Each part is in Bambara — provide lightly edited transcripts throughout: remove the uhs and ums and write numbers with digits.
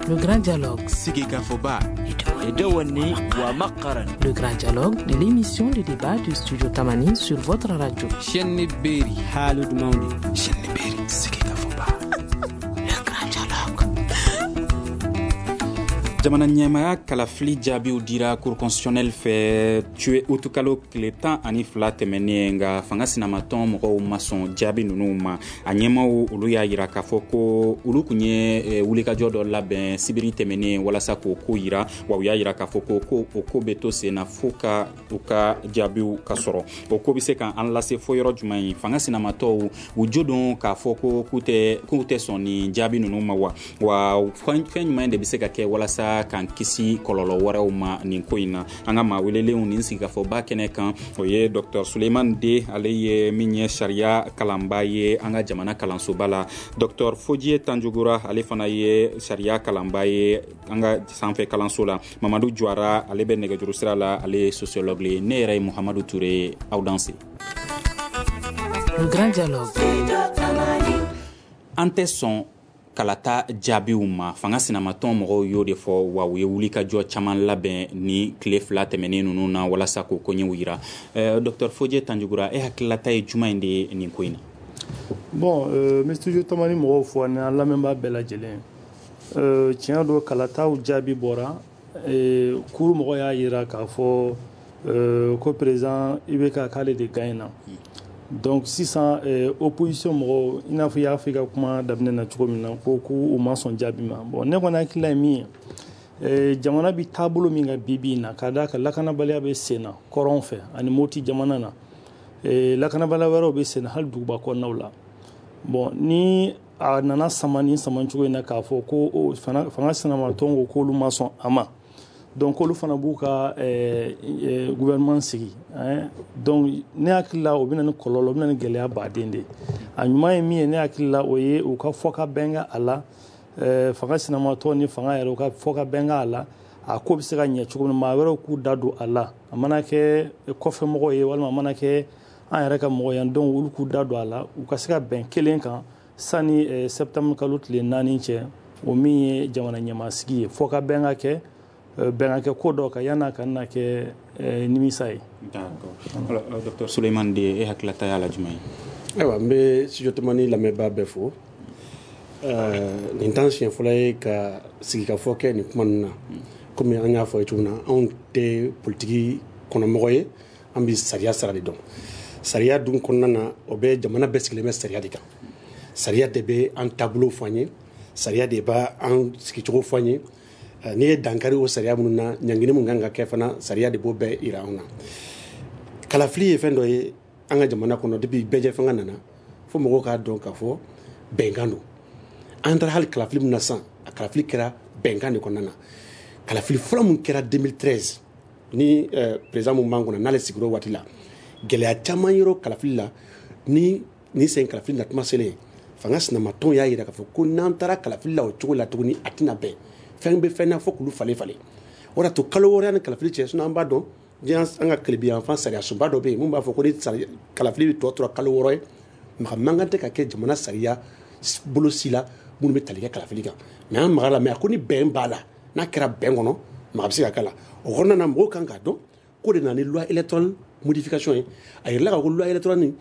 Le Grand Dialogue. Sigikafɔba. Le Grand Dialogue, l'émission de débat du Studio Tamani sur votre radio. Chaîne Berry. Haalud Mawde. Chaîne Berry. Sigikafɔba. Le Grand Dialogue. Jamana ɲɛmaya kalafili jaabiw dira Cour constitutionnelle fɛ tuye utukalo tile 12 tɛmɛnen, nka fanga sinamatɔn mɔgɔw ma sɔn jaabi ninnu ma. A ɲɛmaw olu y'a yira k'a fɔ ko olu tun ye wulikajɔ dɔ labɛn sibiri tɛmɛnen walasa k'o ko yira, wa u y'a yira k'a fɔ ko o ko bɛ to sen na fo ka u ka jaabiw ka sɔrɔ. O ko bɛ se k'an lase fo yɔrɔ jumɛn ye? Fanga sinamatɔw u jo don k'a fɔ ko k'u tɛ sɔn nin jaabi ninnu ma wa? Wa fɛn jumɛn de bɛ se ka kɛ walasa k'an kisi kɔlɔlɔ wɛrɛw ma nin ko in na? An ka maa welelenw nin sigikafɔba kɛnɛ kan, o ye Dr Suleiman De, ale ye min ye sariya kalanba ye an ka jamana kalansoba la. Dr Fodie Tanjugura, ale fana ye sariya kalanba ye an ka sanfɛ kalanso la. Mamadu Juara, ale bɛ nɛgɛjuru sira la, ale ye sociologue ye. Ne yɛrɛ ye Muhamadu Ture, aw danse. Le Grand Dialogue. An tɛ sɔn kalata jaabiw ma, fanga sinamatɔn mɔgɔw y'o de fɔ, wa u ye wulikajɔ caman labɛn ni tile 2 tɛmɛnen ninnu na walasa k'o koɲɛw yira. Dr Fodie Tanjugura, e hakililata ye jumɛn in de ye nin ko in na? Bon, n bɛ Studio Tamani mɔgɔw fo ani an lamɛnbaa bɛɛ lajɛlen. Tiɲɛ don, kalataw jaabi bɔra. Cour mɔgɔw y'a yira k'a fɔ ko président IBK k'ale de gagne na. Donc sisan opposition mɔgɔw, i n'a fɔ i y'a fɔ i ka kuma daminɛ na cogo min na, ko k'u ma sɔn jaabi ma. Bon, ne kɔni hakilila ye min ye, jamana bi taabolo min kan bi bi in na, ka d'a kan lakanabaliya bɛ sen na kɔrɔn fɛ ani Moti jamana na, lakanabaliya wɛrɛw bɛ sen na hali duguba kɔnɔnaw la. Bon, ni a nana sama ni sama cogo in na k'a fɔ ko fanga sinamatɔn ko k'olu ma sɔn a ma, donc olu fana b'u ka gouvernement sigi. Donc ne hakili la o bɛ na ni kɔlɔlɔ, o bɛ na ni gɛlɛya baden de ye. A ɲuman ye min ye, ne hakili la, o ye u ka fɔ ka bɛn a la, fanga sinamatɔn ni fanga yɛrɛ u ka fɔ ka bɛn a la, a ko bɛ se ka ɲɛ cogo min, maa wɛrɛw k'u da don a la, a mana kɛ kɔfɛmɔgɔw ye walima a mana kɛ an yɛrɛ ka mɔgɔ yan, donc olu k'u da don a la, u ka se ka bɛn kelen kan sani septembre kalo tile 4 cɛ, o min ye jamana ɲɛmaasigi ye, fɔ ka bɛn ka kɛ bɛn ka kɛ ko dɔ kan yan'a ka na kɛ nimisa ye. D'accord. Alors Dr Suleiman De, e hakililata y'a la jumɛn ye? Ayiwa, n bɛ Studio Tamani lamɛnbaa bɛɛ fo. Nin t'an siɲɛ fɔlɔ ye ka sigikafɔ kɛ nin kuma ninnu na. Komi an y'a fɔ ye cogo min na, anw tɛ politiki kɔnɔmɔgɔ ye, an bɛ sariya sira de dɔn. Sariya dun kɔnɔna na, o bɛ jamana bɛɛ sigilen bɛ sariya de kan. Sariya de bɛ an taabolo fɔ an ye, sariya de b'an sigicogo fɔ an ye. N'i ye dankari o sariya minnu na, ɲangini mun kan ka kɛ fana, sariya de b'o bɛɛ yira anw na. Kalafili ye fɛn dɔ ye an ka jamana kɔnɔ depuis bɛɛjɛ fanga nana, fo mɔgɔw k'a dɔn k'a fɔ bɛnkan don. An taara hali kalafili min na sisan, a kalafili kɛra bɛnkan de kɔnɔna na. Kalafili fɔlɔ min kɛra 2013 ni président mun b'an kunna n'ale sigira o waati la, gɛlɛya caman yer'o kalafili la. Ni nin sen kalafili natuma selen, fanga sinamatɔnw y'a yira k'a fɔ ko n'an taara kalafili la o cogo la tuguni, a tɛna bɛn. Fɛn bɛ fɛn na fo k'olu falen falen. O de y'a to kalo 6 ni kalafili cɛ, sinon an b'a dɔn diɲɛ an ka tilebiyanfan sariya sunba dɔ bɛ yen mun b'a fɔ ko ni kalafili bɛ tɔ tora kalo 6 ye, maga man kan tɛ ka kɛ jamana sariya bolo si la minnu bɛ tali kɛ kalafili kan. Mais an magara la, mais a ko ni bɛn b'a la, n'a kɛra bɛn kɔnɔ, maga bɛ se ka k'a la. O kɔnɔna na, mɔgɔw kan k'a dɔn ko de nana ni loi électorale modification ye. A yirala k'a fɔ ko loi électorale nin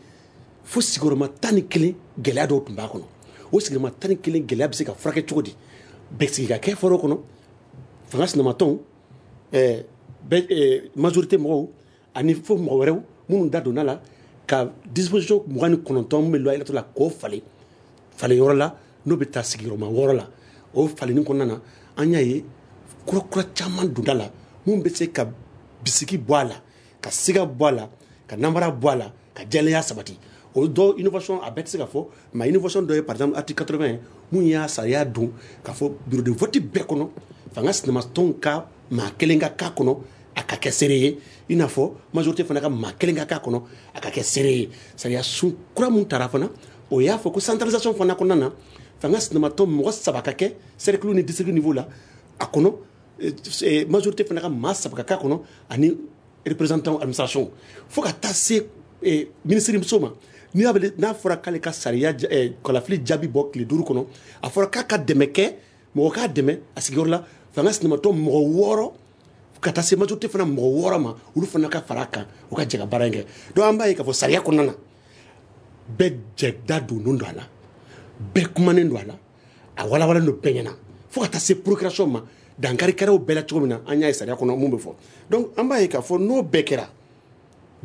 fo sigiyɔrɔma 11 gɛlɛya dɔw tun b'a kɔnɔ. O sigiyɔrɔma 11 gɛlɛya bɛ se ka furakɛ cogo di? Bɛɛ sigi ka kɛ fɔlɔ kɔnɔ, fanga sinamatɔnw, majorité mɔgɔw ani fo mɔgɔ wɛrɛw minnu da donna la ka disposition 29 min bɛ loi électorale la k'o falen falen yɔrɔ la, n'o bɛ taa sigiyɔrɔma 6 la. O falenni kɔnɔna na, an y'a ye kura kura caman donda la mun bɛ se ka bisigi bɔ a la, ka siga bɔ a la, ka namara bɔ a la, ka jɛlenya sabati. O dɔ innovation a bɛɛ tɛ se ka fɔ, mais innovation dɔ ye par exemple article 80 mun y'a sariya don k'a fɔ bureau de vote bɛɛ kɔnɔ, fanga sinamatɔnw ka maa kelen ka k'a kɔnɔ, a ka kɛ seere ye, i n'a fɔ majorité fana ka maa kelen ka k'a kɔnɔ, a ka kɛ seere ye. Sariya sun kura mun tara fana, o y'a fɔ ko centralisation fana kɔnɔna na, fanga sinamatɔn mɔgɔ 3 ka kɛ cercle ni district niveau la a kɔnɔ, majorité fana ka maa 3 ka k'a kɔnɔ ani représentant administration, fo ka taa se ministre muso ma. N'a fɔra k'ale ka sariya kalafili jaabi bɔ tile 5 kɔnɔ, a fɔra k'a ka dɛmɛ kɛ mɔgɔ k'a dɛmɛ a sigiyɔrɔ la, fanga sinamatɔn mɔgɔ 6 ka taa se majorité fana mɔgɔ 6 ma, olu fana ka fara a kan, u ka jɛ ka baara in kɛ. Donc an b'a ye k'a fɔ sariya kɔnɔna na, bɛɛ jɛ da donnen don a la, bɛɛ kumanen don a la, a walawalalen don bɛɛ ɲɛna, fo ka taa se procuration ma. Dankari kɛra o bɛɛ la cogo min na, an y'a ye sariya kɔnɔ mun bɛ fɔ. Donc an b'a ye k'a fɔ n'o bɛɛ kɛra,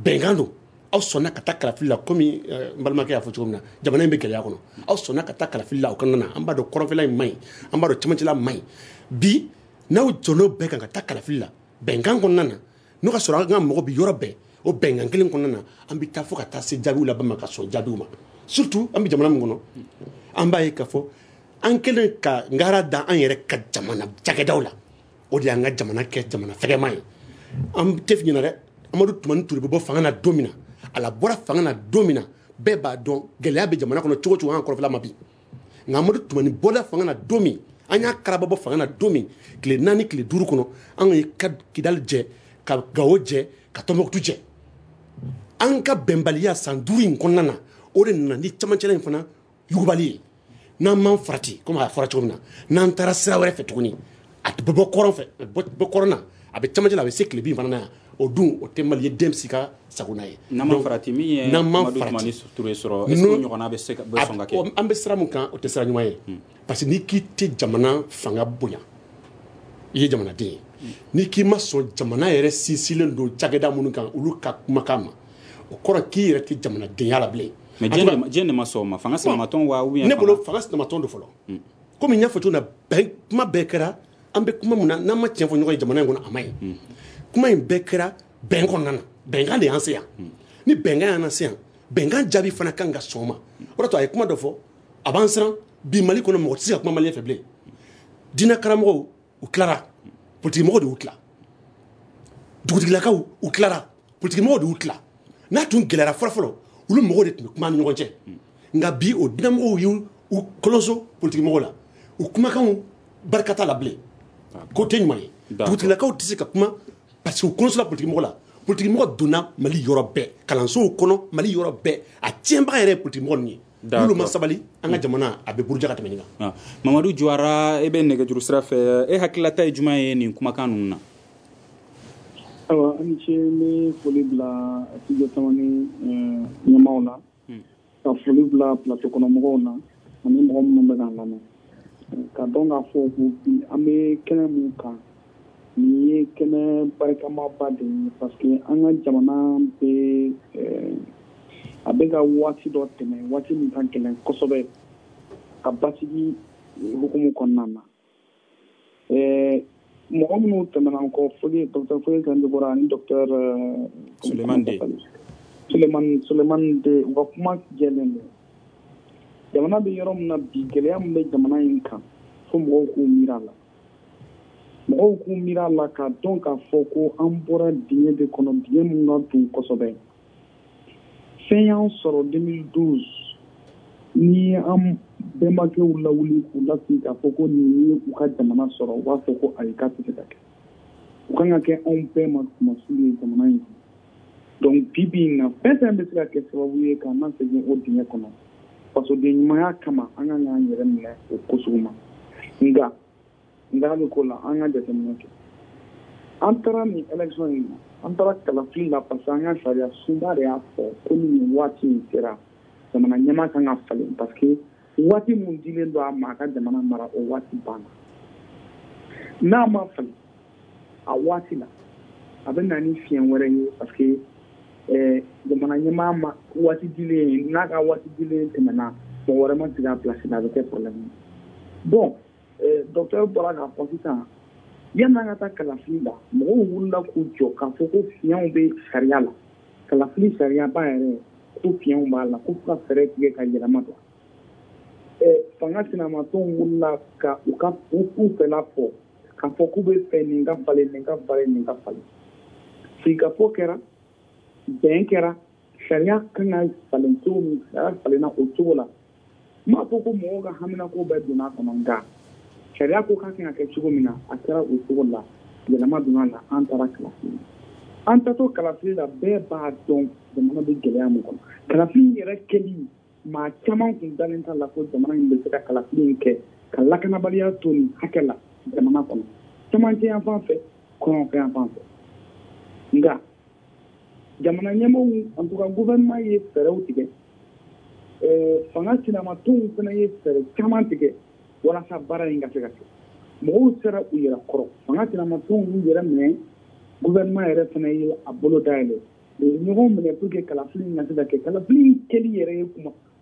bɛnkan don. Aw sɔnna ka taa kalafili la, komi n balimakɛ y'a fɔ cogo min na, jamana in bɛ gɛlɛya kɔnɔ. Aw sɔnna ka taa kalafili la, o kɔnɔna na, an b'a dɔn kɔrɔnfɛla in man ɲi, an b'a dɔn cɛmancɛla man ɲi. Bi n'aw jɔn'o bɛɛ kan ka taa kalafili la bɛnkan kɔnɔna na, n'o ka sɔrɔ an ka mɔgɔ bi yɔrɔ bɛɛ, o bɛnkan kelen kɔnɔna na, an bɛ taa fo ka taa se jaabiw laban ma, ka sɔn jaabiw ma. Surtout an bɛ jamana min kɔnɔ, an b'a ye k'a fɔ an kɛlen ka ngara da an yɛrɛ ka jamana cakɛdaw la, o de y'an ka jamana kɛ jamana fɛgɛman ye. An tɛ ɲinɛ dɛ, Amadu Tumani Ture bɛ bɔ fanga na don min na, a la bɔra fanga na don min na, bɛɛ b'a dɔn gɛlɛya bɛ jamana kɔnɔ cogo cogo, an kɔrɔfɛla ma bi. Nka Amadu Tumani bɔra fanga na don min, an y'a karaba bɔ fanga na don min, tile 4 tile 5 kɔnɔ, an ye Kidali jɛ, ka Gawo jɛ, ka Tɔnbɔkutu jɛ. An ka bɛnbaliya san 5 in kɔnɔna na, o de nana ni camancɛla in fana yugubali ye. N'an m'an farati, komi a fɔra cogo min na, n'an taara sira wɛrɛ fɛ tuguni, a tɛ bɔ kɔrɔn fɛ, bɔ kɔrɔn na, a bɛ camancɛ la, a bɛ se tile bin fana na yan. O dun, o tɛ Mali den si ka sagona ye. N'an ma farati, min ye Amadu Tumani Ture sɔrɔ, est-ce que o ɲɔgɔnna bɛ se ka sɔn ka kɛ? An bɛ sira mun kan, o tɛ sira ɲuman ye. Parce que n'i k'i tɛ jamana fanga bonya, i ye jamanaden ye. N'i k'i ma sɔn jamana yɛrɛ sinsinlen don cakɛda minnu kan, olu ka kumakan ma, o kɔrɔ k'i yɛrɛ tɛ jamanadenya la bilen. Mais diɲɛ de ma sɔn o ma, fanga sinamatɔn wa ou bien? Ne bolo fanga sinamatɔn don fɔlɔ. Komi n y'a fɔ cogo min na, bɛn kuma bɛɛ kɛra, an bɛ kuma mun na, n'an ma tiɲɛ fɔ ɲɔgɔn ye jamana in kɔnɔ, a ma ɲi. Kuma in bɛɛ kɛra bɛn kɔnɔna na, bɛnkan de y'an se yan. Ni bɛnkan y'an se yan, bɛnkan jaabi fana kan ka sɔn o ma. O de to a ye kuma dɔ fɔ, a b'an siran bi Mali kɔnɔ, mɔgɔ tɛ se ka kuma malien fɛ bilen. Diinɛ karamɔgɔw u tilara, politikimɔgɔw de y'u tila. Dugutigilakaw u tilara, politikimɔgɔw de y'u tila. N'a tun gɛlɛyara fɔlɔ-fɔlɔ, olu mɔgɔw de tun bɛ kuma ni ɲɔgɔn cɛ. Nka bi o diinɛmɔgɔw y'u kɔlɔnso politikimɔgɔw la, u kumakanw barika t'a la bilen. Ko tɛ ɲuman ye. Dugutigilakaw tɛ se ka kuma parce que u kɔlɔnsola politikimɔgɔ la. Politikimɔgɔ donna Mali yɔrɔ bɛɛ, kalansow kɔnɔ Mali yɔrɔ bɛɛ, a tiɲɛbaga yɛrɛ ye politikimɔgɔ ninnu ye. N'olu ma sabali, an ka jamana a bɛ buruja ka tɛmɛ nin kan. Mamadu Juwara, e bɛ nɛgɛjuru sira fɛ, e hakililata ye jumɛn ye nin kumakan ninnu na? Ayiwa, an ni ce, n bɛ foli bila studio Tamani ɲɛmaaw la, ka foli bila plateau kɔnɔ mɔgɔw na, ani mɔgɔ minnu bɛ k'an lamɛn. Ka dɔn k'a fɔ ko bi an bɛ kɛnɛ mun kan, nin ye kɛnɛ barikamaba de ye, parce que an ka jamana bɛ a bɛ ka waati dɔ tɛmɛ, waati min ka gɛlɛn kosɛbɛ ka basigi hukumu kɔnɔna na. Mɔgɔ minnu tɛmɛna an kɔ, Foli, docteur Foli Sanjibora ani docteur Sulemani De. Sulemani De, u ka kuma jɛlen don. Jamana bɛ yɔrɔ min na bi, gɛlɛya min bɛ jamana in kan, fo mɔgɔw k'u miiri a la. Mɔgɔw k'u miiri a la k'a dɔn k'a fɔ ko an bɔra dingɛ de kɔnɔ, dingɛ min ka dun kosɛbɛ. Fɛn y'an sɔrɔ 2012, ni an bɛnbakɛw lawuli k'u lasigi k'a fɔ ko nin ye u ka jamana sɔrɔ, u b'a fɔ ko ayi, k'a tɛ se ka kɛ. U kan ka kɛ anw bɛɛ ma kumasulu ye jamana in kɔnɔ. Donc bi bi in na, fɛn fɛn bɛ se ka kɛ sababu ye k'an lasegin o dingɛ kɔnɔ, fasoden ɲumanya kama, an kan k'an yɛrɛ minɛ o ko sugu ma. Nka bɛ ko la, an ka jateminɛ kɛ. An taara nin élection in na, an taara kalafili la parce que an ka sariya sunba de y'a fɔ ko ni nin waati in sera, jamana ɲɛmaa kan ka falen, parce que waati mun dilen don a ma a ka jamana mara, o waati banna. N'a ma falen a waati la, a bɛ na ni fiɲɛ wɛrɛ ye, parce que jamana ɲɛmaa ma waati dilen, n'a ka waati dilen tɛmɛna, mɔgɔ wɛrɛ ma sigi a place la, a bɛ kɛ problème ye. Bon, docteur bɔra k'a fɔ sisan, yanni an ka taa kalafili la, mɔgɔw wulila k'u jɔ k'a fɔ ko fiɲɛw bɛ sariya la, kalafili sariyaba yɛrɛ ko fiɲɛw b'a la, ko fo ka fɛɛrɛ tigɛ ka yɛlɛma don. Fanga sinamatɔnw wulila ka u ka u fɛla fɔ, k'a fɔ k'u bɛ fɛ nin ka falen, nin ka falen, nin ka falen. Sigikafɔ kɛra, bɛn kɛra, sariya kan ka falen cogo min, sariya falenna o cogo la. N m'a fɔ ko mɔgɔw ka haminako bɛɛ donna a kɔnɔ, nka sariya ko k'a kan ka kɛ cogo min na, a kɛra o cogo la, yɛlɛma donna a la, an taara kalafili la. An taatɔ kalafili la, bɛɛ b'a dɔn jamana bɛ gɛlɛya min kɔnɔ. Kalafili yɛrɛ kɛli, maa caman kun dalen t'a la ko jamana in bɛ se ka kalafili in kɛ Ka lakanabaliya to nin hakɛ la jamana kɔnɔ, cɛmancɛ yan fan fɛ, kɔrɔnfɛ yan fan fɛ. Nka jamana ɲɛmaaw, en tout cas gouvernement ye fɛɛrɛw tigɛ, fanga sinamatɔnw fana ye fɛɛrɛ caman tigɛ walasa baara in ka se ka kɛ. Mɔgɔw sera u yɛrɛ kɔrɔ, fanga sinamatɔnw y'u yɛrɛ minɛ, gouvernement yɛrɛ fana ye a bolo dayɛlɛ, u ye ɲɔgɔn minɛ pour que kalafili in ka se ka kɛ. Kalafili in kɛli yɛrɛ ye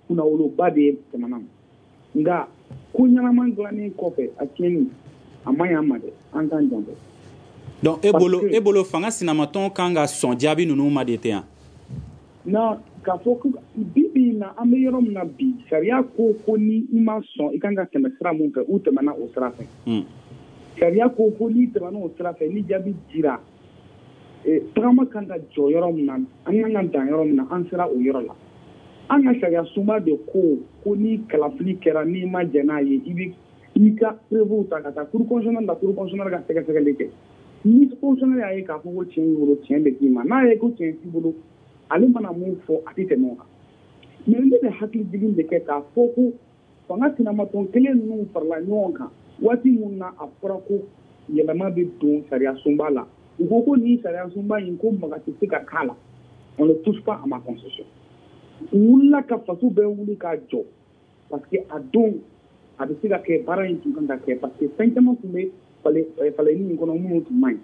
kunnawoloba de ye jamana ma. Nka ko ɲɛnama dilannen kɔfɛ, a tiɲɛni a ma ɲi an ma dɛ, an k'an janto. Donc e bolo fanga sinamatɔn kan ka sɔn jaabi ninnu ma de tɛ yan? Non, k'a fɔ ko bi bi in na, an bɛ yɔrɔ min na bi, sariya ko ni i ma sɔn, i kan ka tɛmɛ sira mun fɛ, u tɛmɛna o sira fɛ. Sariya ko n'i tɛmɛna o sira fɛ, ni jaabi dira, tagama kan ka jɔ yɔrɔ min na, an kan ka dan yɔrɔ min na, an sera o yɔrɔ la. An ka sariya sunba de ko ni kalafili kɛra, n'i ma jɛn n'a ye, i bɛ i ka preuve ta ka taa cour constitutionnelle la, cour constitutionnelle ka sɛgɛsɛgɛli kɛ. Ni constitutionnelle y'a ye k'a fɔ ko tiɲɛ b'i bolo, tiɲɛ bɛ d'i ma. N'a ye ko tiɲɛ t'i bolo, ale mana mun fɔ, a tɛ tɛmɛ o kan. Mais ne bɛ hakili jigin de kɛ k'a fɔ ko fanga sinamatɔn kelen ninnu farala ɲɔgɔn kan waati mun na a fɔra ko yɛlɛma bɛ don sariya sunba la, u ko nin sariya sunba in, ko maga tɛ se ka k'a la, on ne touche pas à ma constitution. U wulila ka faso bɛɛ wuli k'a jɔ, parce que a don a bɛ se ka kɛ, baara in tun kan ka kɛ, parce que fɛn caman tun bɛ falenni in kɔnɔ minnu tun man ɲi.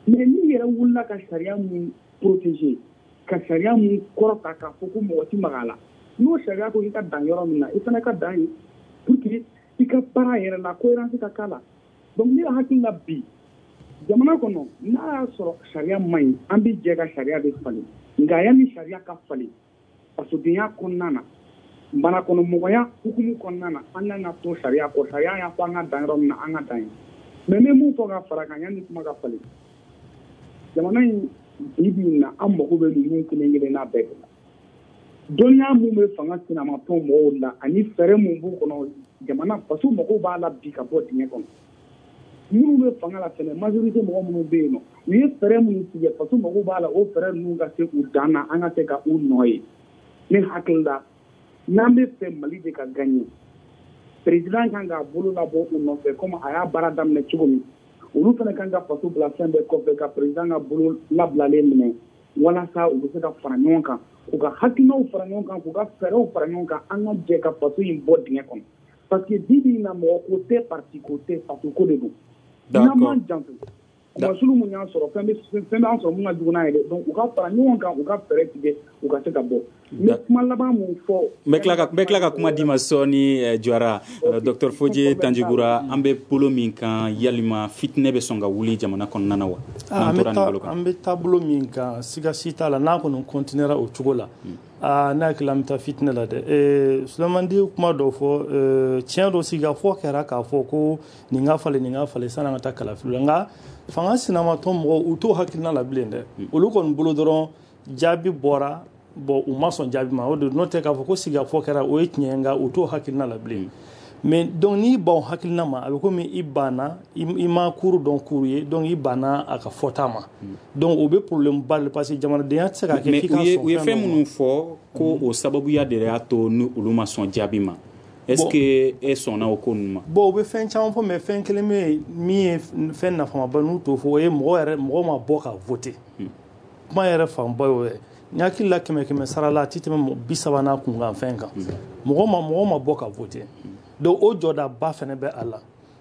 Mais n'i yɛrɛ wulila ka sariya mun protéger, ka sariya mun kɔrɔta k'a fɔ ko mɔgɔ tɛ maga a la, n'o sariya ko i ka dan yɔrɔ min na, i fana ka dan yen pour que i ka baara yɛrɛ la cohérence ka k'a la. Donc ne hakili la bi jamana kɔnɔ, n'a y'a sɔrɔ sariya man ɲi, an bɛ jɛ ka sariya de falen. Nka yanni sariya ka falen, fasodenya kɔnɔna na, manakɔnɔmɔgɔya hukumu kɔnɔna na, an kan ka to sariya kɔ. Sariya y'a fɔ an ka dan yɔrɔ min na, an ka dan yen. Mais n bɛ mun fɔ ka fara kan yanni kuma ka falen, jamana in bi bi in na, an mago bɛ ninnu kelen kelenna bɛɛ de la. Dɔnniya mun bɛ fanga sinamatɔn mɔgɔw la ani fɛɛrɛ mun b'u kɔnɔ, jamana faso mago b'a la bi ka bɔ dingɛ kɔnɔ. Minnu bɛ fanga la fɛnɛ, majorité mɔgɔ minnu bɛ yen nɔ, u ye fɛɛrɛ minnu tigɛ, faso mago b'a la o fɛɛrɛ ninnu ka se u dan na, an ka se ka u nɔ ye. Ne hakili la, n'an bɛ fɛ Mali de ka gagner, président kan k'a bolo labɔ u nɔfɛ comme a y'a baara daminɛ cogo min. Olu fana kan ka faso bila fɛn bɛɛ kɔfɛ ka président ka bolo labilalen minɛ, walasa u bɛ se ka fara ɲɔgɔn kan, k'u ka hakilinaw fara ɲɔgɔn kan, k'u ka fɛɛrɛw fara ɲɔgɔn kan, an ka jɛ ka faso in bɔ dingɛ kɔnɔ. Parce que bi bi in na, mɔgɔ ko tɛ, parti ko tɛ, faso ko de don. N'an m'an janto, kumasulu mun y'an sɔrɔ, fɛn b'an sɔrɔ mun ka jugu n'a ye dɛ. Donc u ka fara ɲɔgɔn kan, u ka fɛɛrɛ tigɛ, u ka se ka bɔ. N bɛ kuma laban mun fɔ. N bɛ tila ka kuma d'i ma sɔɔni, Jawara. Docteur Fodje Tandjigora, an bɛ bolo min kan, yalima fitinɛ bɛ sɔn ka wuli jamana kɔnɔna na wa? An bɛ taabolo min kan, siga si t'a la, n'a kɔni continuera o cogo la, ne hakili la an bɛ taa fitinɛ la dɛ. Souleymane Di kuma dɔ fɔ, tiɲɛ dɔ sigikafɔ kɛra k'a fɔ ko nin ka falen, nin ka falen sanni an ka taa kalafili la. Nka fanga sinamatɔn mɔgɔw, u t'o hakilina la bilen dɛ. Olu kɔni bolo dɔrɔn jaabi bɔra, bon, u ma sɔn jaabi ma, o de n'o tɛ k'a fɔ ko sigikafɔ kɛra, o ye tiɲɛ ye, nka u t'o hakilina la bilen. Mais donc n'i ban o hakilina ma, a bɛ komi i banna, i ma kuru dɔn kuru ye, donc i banna a ka fɔta ma. Donc o bɛ problème ba de, parce que jamanadenya tɛ se ka kɛ k'i ka sɔn fɛn dɔ ma. U ye fɛn minnu fɔ ko o sababuya de y'a to ni olu ma sɔn jaabi ma. Est-ce que e sɔnna o ko ninnu ma? Bon, u bɛ fɛn caman fɔ, mais fɛn kelen bɛ yen min ye fɛn nafamaba n'u t'o fɔ, o ye mɔgɔ yɛrɛ, mɔgɔ ma bɔ ka voter. Kuma yɛrɛ fanba y'o ye. N hakili la 100 sara la, a tɛ tɛmɛ 30 n'a kunkan fɛn kan. Mɔgɔ ma bɔ ka voter. Donc o jɔdaba fɛnɛ bɛ a la.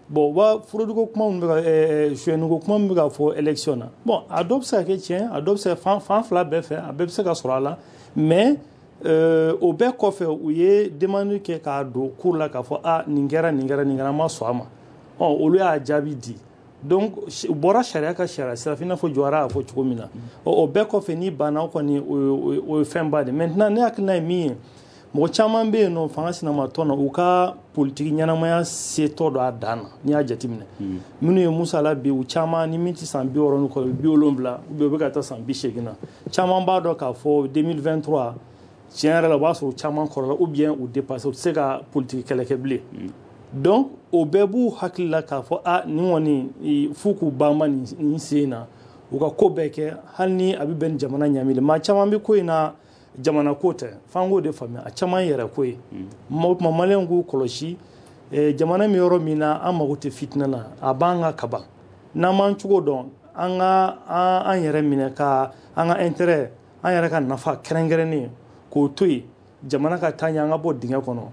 Bon, u b'a furuduko kuma min bɛ ka suyɛniko kuma min bɛ ka fɔ élection na. Bon, a dɔw bɛ se ka kɛ tiɲɛ, a dɔw bɛ se ka fan fila bɛɛ fɛ, a bɛɛ bɛ se ka sɔrɔ a la. Mais o bɛɛ kɔfɛ, u ye demande kɛ k'a don cour la k'a fɔ a nin kɛra, nin kɛra, nin kɛra, an ma sɔn a ma. Ɔ, olu y'a jaabi di. Donc u bɔra sariya ka sariya sira fɛ, i n'a fɔ Jawara y'a fɔ cogo min na. O bɛɛ kɔfɛ, n'i banna, o kɔni o ye fɛnba de. Maintenant ne hakilina ye min ye, mɔgɔ caman bɛ yen nɔ fanga sinamatɔn na, u ka politiki ɲɛnamaya setɔ dɔ a dan na. N'i y'a jateminɛ, minnu ye Musa la bi, u caman ni min tɛ san 60 ni kɔ, 70, ou bien u bɛ ka taa san 80 na, caman b'a dɔn k'a fɔ 2023 tiɲɛ yɛrɛ la, o b'a sɔrɔ caman kɔrɔla ou bien u dépassé, u tɛ se ka politiki kɛlɛ kɛ bilen. Donc o bɛɛ b'u hakili la k'a fɔ a nin kɔni f'u k'u banba nin sen na, u ka ko bɛɛ kɛ, hali ni a bɛ bɛn ni jamana ɲami de. Maa caman bɛ ko in na, jamana ko tɛ, f'an k'o de faamuya, a caman yɛrɛ ko ye. O tuma maliyɛnw k'u kɔlɔsi, Jamana min yɔrɔ min na an mago tɛ fitinɛ na, a b'an ka kaban. N'an m'an cogo dɔn, an ka an yɛrɛ minɛ ka an ka intérêt, an yɛrɛ ka nafa kɛrɛnkɛrɛnnen k'o to yen, jamana ka taa ɲɛ, an ka bɔ dingɛ kɔnɔ.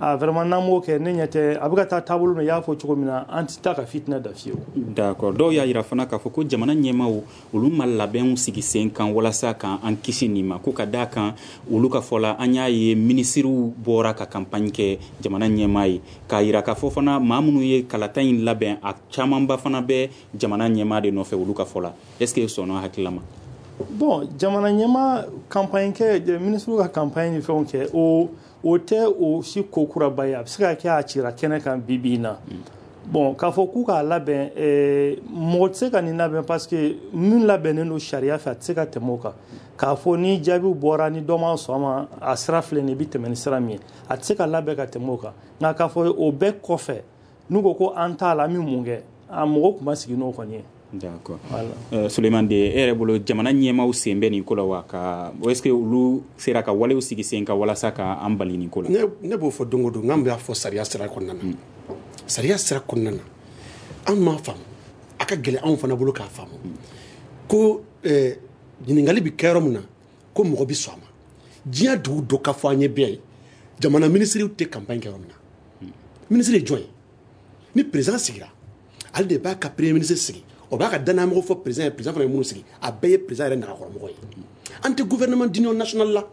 Ah, vraiment, n'an m'o kɛ, ne ɲɛ tɛ a bɛ ka taa taabolo min, i y'a fɔ cogo min na, an tɛ taa ka fitinɛ da fiyewu. D'accord. Dɔw y'a yira fana k'a fɔ ko jamana ɲɛmaaw, olu ma labɛnw sigi sen kan walasa k'an kisi nin ma, ko ka d'a kan olu ka fɔ la, an y'a ye minisiriw bɔra ka campagne kɛ jamana ɲɛmaa ye, k'a yira k'a fɔ fana maa minnu ye kalata in labɛn, a camanba fana bɛ jamana ɲɛmaa de nɔfɛ olu ka fɔ la. Est ce que sɔnna hakilila ma? Bon, jamana ɲɛmaa campagne kɛ, minisiriw ka campagne ni fɛnw kɛ, o tɛ o si ko kuraba ye. A bɛ se ka kɛ a cira kɛnɛ kan bi bi in na. Bon, k'a fɔ k'u k'a labɛn, mɔgɔ tɛ se ka nin labɛn, parce que min labɛnnen don sariya fɛ, a tɛ se ka tɛmɛ o kan. K'a fɔ ni jaabiw bɔra, ni dɔ ma sɔn a ma, a sira filɛ nin ye, i bɛ tɛmɛ ni sira min ye, a tɛ se ka labɛn ka tɛmɛ o kan. Nka k'a fɔ o bɛɛ kɔfɛ, n'u ko ko an t'a la, an bɛ mun kɛ? A mɔgɔ tun ma sigi n'o kɔni ye. D'accord. Voilà. Souleymane De, e yɛrɛ bolo, jamana ɲɛmaaw sen bɛ nin ko la wa? Ka est ce que olu sera ka walew sigi sen kan walasa ka an bali nin ko la? Ne b'o fɔ don o don, n'an b'a fɔ sariya sira kɔnɔna na. Sariya sira kɔnɔna na, an m'a faamu, a ka gɛlɛn anw fana bolo k'a faamu. Ko ɲininkali bɛ kɛ yɔrɔ min na, ko mɔgɔ bɛ sɔn a ma. Diɲɛ dugu dɔ ka fɔ an ye bɛɛ ye, jamana minisiriw tɛ campagne kɛ yɔrɔ min na. Minisiri ye jɔn ye? Ni président sigira, ale de b'a ka premier ministre sigi. O b'a ka danayamɔgɔ fɔ président ye, président fana ye minnu sigi, a bɛɛ ye président yɛrɛ nagakɔrɔmɔgɔ ye. An tɛ gouvernement d'union nationale la.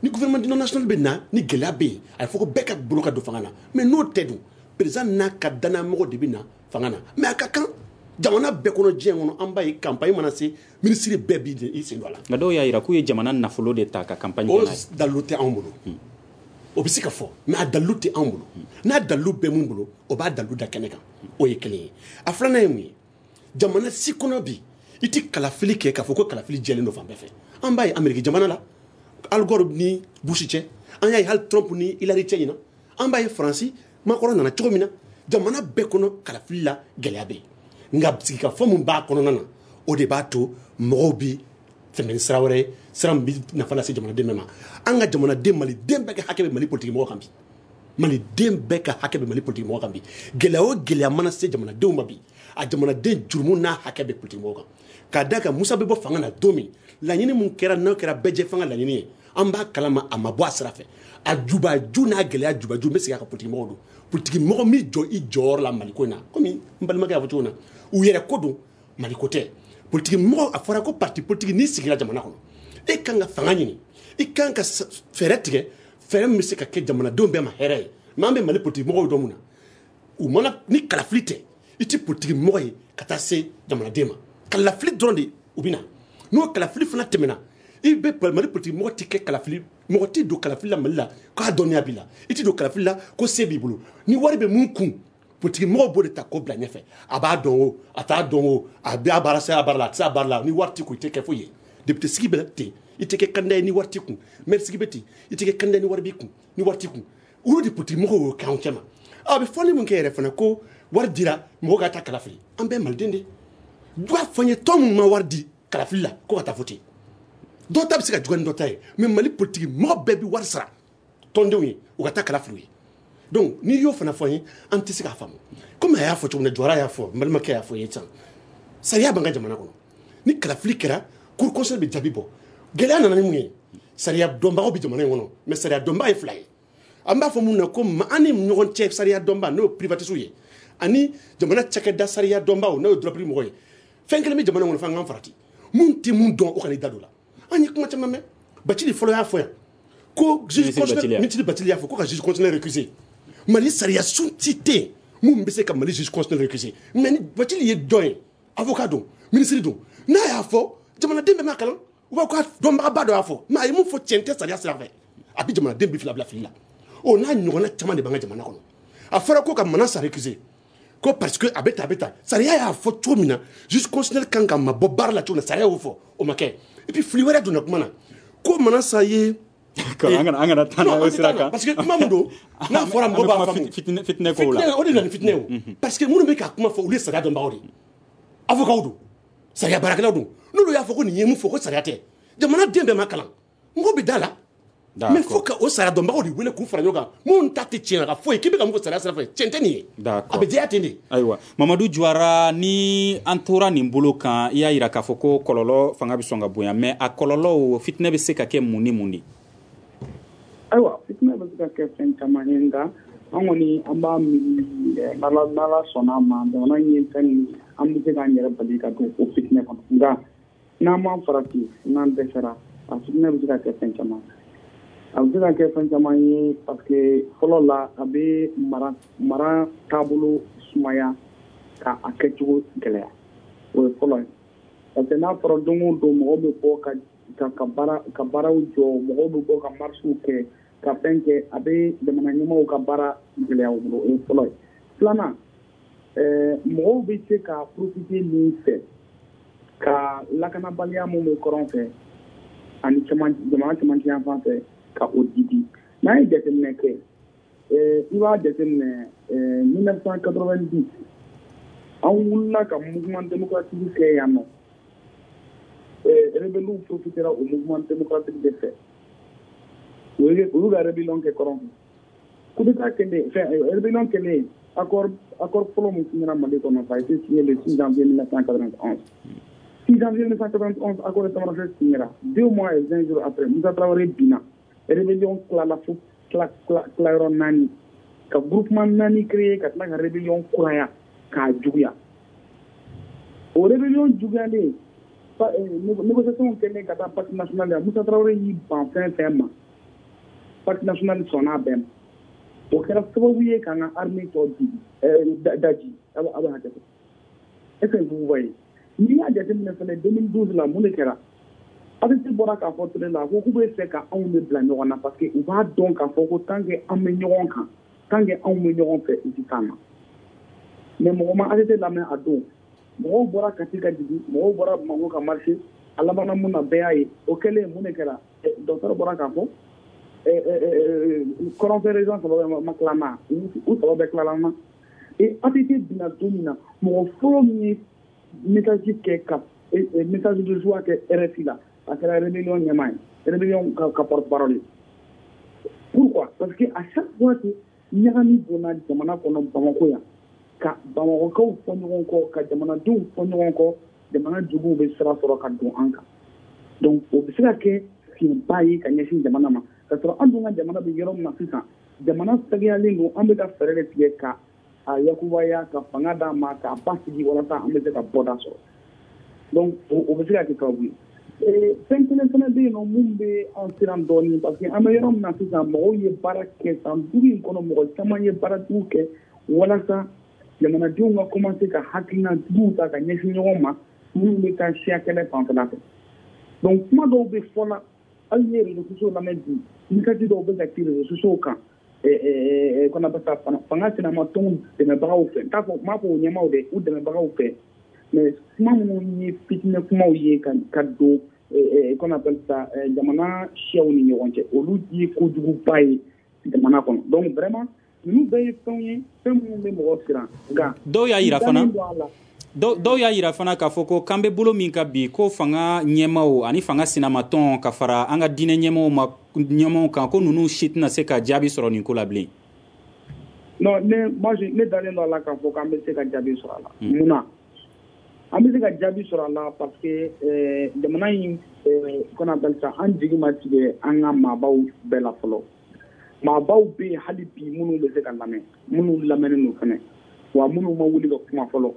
Ni gouvernement d'union nationale bɛ na, ni gɛlɛya bɛ yen, a ye fɔ ko bɛɛ ka bolo ka don fanga na. Mais n'o tɛ dun, président n'a ka danayamɔgɔ de bɛ na fanga na. Mais a ka kan jamana bɛɛ kɔnɔ, diɲɛ kɔnɔ, an b'a ye campagne mana se, ministre bɛɛ b'i sen don a la. Nka dɔw y'a yira k'u ye jamana nafolo de ta ka campagne kɛ n'a ye. O dalilu tɛ anw bolo. O bɛ se ka fɔ, mais a dalilu tɛ anw bolo. N'a dalilu bɛ mun bolo, o b'a dalilu da kɛnɛ kan. O ye kelen ye. A filanan ye mun ye? Jamana si kɔnɔ bi, i tɛ kalafili kɛ k'a fɔ ko kalafili jɛlen don fan bɛɛ fɛ. An b'a ye Amérique jamana la, Al Gore ni Bush cɛ, an y'a ye hali Trump ni Hillary cɛ ɲina, an b'a ye Faransi Macron nana cogo min na. Jamana bɛɛ kɔnɔ kalafili la gɛlɛya bɛ yen. Nka sigikafɔ min b'a kɔnɔna na, o de b'a to mɔgɔw bi tɛmɛ ni sira wɛrɛ ye, sira min bɛ nafa lase jamanaden bɛɛ ma. An ka jamanaden, maliden bɛɛ ka hakɛ bɛ Mali politique mɔgɔ kan bi. Maliden bɛɛ ka hakɛ bɛ Mali politique mɔgɔ kan bi. Gɛlɛya o gɛlɛya mana se jamanadenw ma bi, a jamanaden jurumu n'a hakɛ bɛ politique mɔgɔ kan. K'a d'a kan Musa bɛ bɔ fanga na don min, laɲini mun kɛra, n'o kɛra bɛɛ jɛ fanga laɲini ye, an b'a kalama a ma bɔ a sira fɛ. A jubaju n'a gɛlɛya jubaju, n bɛ segin a kan, politique mɔgɔw don. Politique mɔgɔ min jɔ i jɔyɔrɔ la Maliko in na, komi n balimakɛ y'a fɔ cogo min na, u yɛrɛ ko don, Maliko tɛ. Politique mɔgɔ, a fɔra ko parti politique, n'i sigira jamana kɔnɔ, e kan ka fanga ɲini, i kan ka fɛɛrɛ tigɛ, fɛɛrɛ min bɛ se ka kɛ jamanadenw bɛɛ ma hɛrɛ ye. Mais an bɛ Mali politique mɔgɔw dɔn mun na? U mana ni kalafili tɛ, i tɛ politique mɔgɔ ye ka taa se jamanaden ma. Kalafili dɔrɔn de u bɛ na. N'o kalafili fana tɛmɛna, i bɛ Mali politique mɔgɔ tɛ kɛ kalafili, mɔgɔ tɛ don kalafili la Mali la k'a dɔnniya b'i la, i tɛ don kalafili la ko se b'i bolo. Ni wari bɛ mun kun, politique mɔgɔw b'o de ta k'o bila ɲɛfɛ. A b'a dɔn o, a t'a dɔn o, a bɛ a baara se a baara la, a tɛ se a baara la, ni wari t'i kun, i tɛ kɛ foyi ye. Député sigi bɛ ten, i tɛ kɛ candidat ye ni wari t'i kun. Maire sigi bɛ ten, i tɛ kɛ candidat ni wari b'i kun, ni wari t'i kun. Olu de politique mɔgɔw y'o kɛ anw cɛ ma. A bɛ fɔli mun kɛ yɛrɛ fana, ko wari dira mɔgɔ ka taa kalafili, an bɛɛ maliden de. B'a fɔ n ye tɔn mun ma wari di kalafili la ko ka taa voter. Dɔw ta bɛ se ka juguya ni dɔ ta ye, mais Mali politique mɔgɔ bɛɛ bɛ wari sara tɔndenw ye u ka taa kalafili ye. Donc n'i y'o fana fɔ n ye, an tɛ se k'a faamu. Komi a y'a fɔ cogo min na, Jɔra y'a fɔ, n balimakɛ y'a fɔ ye sisan, sariya b'an ka jamana kɔnɔ. Ni kalafili kɛra, cour constitutionnelle bɛ jaabi bɔ. Gɛlɛya nana ni mun ye? Sariya dɔnbagaw bɛ jamana in kɔnɔ, mais sariya dɔnbaga ye fila ye. An b'a fɔ mun na ko an ni ɲɔgɔn cɛ sariya dɔnba, n'o ye privatiste ye, ani jamana cakɛda sariya dɔnbaw, n'o ye droit public mɔgɔ ye. Fɛn kelen bɛ jamana kɔnɔ, f'an k'an farati. Mun tɛ mun dɔn, o kana i da don la. An ye kuma caman mɛn. Bacili fɔlɔ y'a fɔ yan ko juge constitutionnel, ministre Bacili y'a fɔ ko ka juge constitutionnel récuser. Mali sariya sun ti tɛ yen mun bɛ se ka Mali juge constitutionnel récuser. Mais ni Bacili ye jɔn ye, avocat don, ministre don, n'a y'a fɔ, jamanaden bɛɛ m'a kalan, u b'a fɔ k'a dɔnbagaba dɔ y'a fɔ, mais a ye mun fɔ tiɲɛ tɛ sariya sira fɛ, a bɛ jamanaden bi fila bila fili la. O n'a ɲɔgɔnna caman de b'an ka jamana kɔnɔ. A fɔra ko ka Manasa récuser, ko parce que a bɛ tan, a bɛ tan. Sariya y'a fɔ cogo min na, juge constitutionnel kan ka mabɔ baara la cogo min na, sariya y'o fɔ, o ma kɛ. Et puis fili wɛrɛ donna kuma na, ko Manasa ye an kana taa n'a sira kan, parce que kuma min don, n'a fɔra mɔgɔ b'a faamu. Fitinɛ kow la, o de nana ni fitinɛ o. Parce que minnu bɛ ka kuma fɔ, olu ye sariya dɔnbagaw de ye, avocats don, sariya baarakɛlaw don. N'olu y'a fɔ ko nin ye mun fɔ, ko sariya tɛ, jamana den bɛɛ ma kalan, mɔgɔ bɛ da la. Mais faut que o sariya dɔnbagaw de wele k'u fara ɲɔgɔn kan, minnu ta tɛ tiɲɛ ka foyi k'i bɛ ka mun fɔ sariya sira fɛ, tiɲɛ tɛ nin ye. A bɛ diya ten de. Ayiwa, Mamadu Juwara, ni an tora nin bolo kan, i y'a yira k'a fɔ ko kɔlɔlɔ fanga bɛ sɔn ka bonya, mais a kɔlɔlɔw, fitinɛ bɛ se ka kɛ mun ni mun de? Ayiwa, fitinɛ bɛ se ka kɛ fɛn caman ye, nka an kɔni an b'a miiri n'Ala sɔnna a ma, jamana in ye fɛn min, an bɛ se k'an yɛrɛ bali ka don o fitinɛ kɔnɔ. Nka n'an m'an farati, n'an dɛsɛra, a fitinɛ bɛ se ka kɛ fɛn caman. A bɛ se ka kɛ fɛn caman ye parce que fɔlɔ la, a bɛ mara taabolo sumaya ka a kɛcogo gɛlɛya. O ye fɔlɔ ye, parce que n'a fɔra don o don mɔgɔw bɛ bɔ ka baaraw jɔ, mɔgɔw bɛ bɔ ka marisiw kɛ, ka fɛn kɛ, a bɛ jamana ɲɛmaaw ka baara gɛlɛya u bolo. O ye fɔlɔ ye. Filanan, mɔgɔw bɛ se ka profiter min fɛ ka lakanabaliya mun bɛ kɔrɔn fɛ ani jamana cɛmancɛ yan fan fɛ, ka o didi. N'an ye jateminɛ kɛ, i b'a jateminɛ 1990, an wulila ka mouvement démocratique kɛ yan nɔ. Rebelles profitera o mouvement démocratique de fɛ, olu ka rébellion kɛ kɔrɔn fɛ. Coup d'état kɛlen, fɛn rébellion kɛlen, accord fɔlɔ min signera Mali kɔnɔ, ça a été signé le 6 janvier 1991. 6 janvier 1991, accord de Tamanrasset signera. 2 mois et 20 jours après, Moussa Traoré binna. Rébellion tilala fo tilayɔrɔ 4, ka groupement 4 créé, ka tila ka rébellion kuraya k'a juguya. O rébellion juguyalen, négociation kɛlen ka taa Pacte national la, Moussa Traoré y'i ban fɛn fɛn ma, Pacte national sɔnna a bɛɛ ma. O kɛra sababu ye k'an ka armée tɔ daji. A bɛ hakɛ to. Est-ce que vous voyez? N'i y'a jateminɛ fɛnɛ, 2012 la, mun de kɛra? ATT bɔra k'a fɔ télé la ko k'u bɛ fɛ ka anw de bila ɲɔgɔn na, parce que u b'a dɔn k'a fɔ ko tant que an bɛ ɲɔgɔn kan, tant que anw bɛ ɲɔgɔn fɛ, u tɛ s'an ma. Mais mɔgɔ ma ATT lamɛn a don. Mɔgɔw bɔra Kati ka jigin, mɔgɔw bɔra Bamakɔ ka marcher, a labanna mun na, bɛɛ y'a ye. O kɛlen, mun de kɛra? Docteur bɔra k'a fɔ kɔrɔnfɛ région saba bɛɛ ma tila na, u saba bɛɛ tilala na. Et ATT binna don min na, mɔgɔ fɔlɔ min ye message kɛ, ka message de joie kɛ RFI la, a kɛra rébellion ɲɛmaa ye, rébellion ka porte-parole ye. Pourquoi? Parce que à chaque fois que ɲagami donna jamana kɔnɔ, Bamakɔ yan, ka Bamakɔkaw fɔ ɲɔgɔn kɔ, ka jamanadenw fɔ ɲɔgɔn kɔ, jamana juguw bɛ sira sɔrɔ ka don an kan. Donc o bɛ se ka kɛ fiɲɛba ye ka ɲɛsin jamana ma, ka sɔrɔ an dun ka jamana bɛ yɔrɔ min na sisan, jamana sɛgɛyalen don. An bɛ ka fɛɛrɛ de tigɛ ka a yakubaya, ka fanga d'a ma, k'a basigi, walasa an bɛ se ka bɔda sɔrɔ. Donc o bɛ se ka kɛ sababu ye. Fɛn kelen fana bɛ yen nɔ mun bɛ an siran dɔɔnin, parce que an bɛ yɔrɔ min na sisan, mɔgɔw ye baara kɛ san 5 in kɔnɔ, mɔgɔ caman ye baara jugu kɛ walasa jamanadenw ka commencer ka hakilina juguw ta ka ɲɛsin ɲɔgɔn ma, minnu bɛ taa siya kɛlɛ fanfɛla fɛ. Donc kuma dɔw bɛ fɔ la, hali n'i ye réseaux sociaux lamɛn bi, message dɔw bɛ ka ci réseaux sociaux kan, qu'on appelle ça fanga sinamatɔnw dɛmɛbagaw fɛ, n t'a fɔ, n m'a fɔ o ɲɛmaaw dɛ, u dɛmɛbagaw fɛ, mais kuma minnu ye fitinɛ kumaw ye ka don, qu'on appelle ça, jamana siyaw ni ɲɔgɔn cɛ, olu ye kojuguba ye jamana kɔnɔ. Donc vraiment, ninnu bɛɛ ye fɛnw ye, fɛn minnu bɛ mɔgɔ siran. Nka dɔw y'a yira fana, dɔw y'a yira fana k'a fɔ ko k'an bɛ bolo min ka bi, ko fanga ɲɛmaaw ani fanga sinamatɔn ka fara an ka diinɛ ɲɛmaaw ma, ɲɛmaaw kan, ko ninnu si tɛna se ka jaabi sɔrɔ nin ko la bilen. Non, ne, moi, ne dalen don a la k'a fɔ k'an bɛ se ka jaabi sɔrɔ a la. Mun na an bɛ se ka jaabi sɔrɔ a la? Parce que jamana in, qu'on appelle ça, an jigi ma tigɛ an ka maabaw bɛɛ la fɔlɔ. Maabaw bɛ yen hali bi minnu bɛ se ka lamɛn, minnu lamɛnnen don fɛnɛ, wa minnu ma wuli ka kuma fɔlɔ,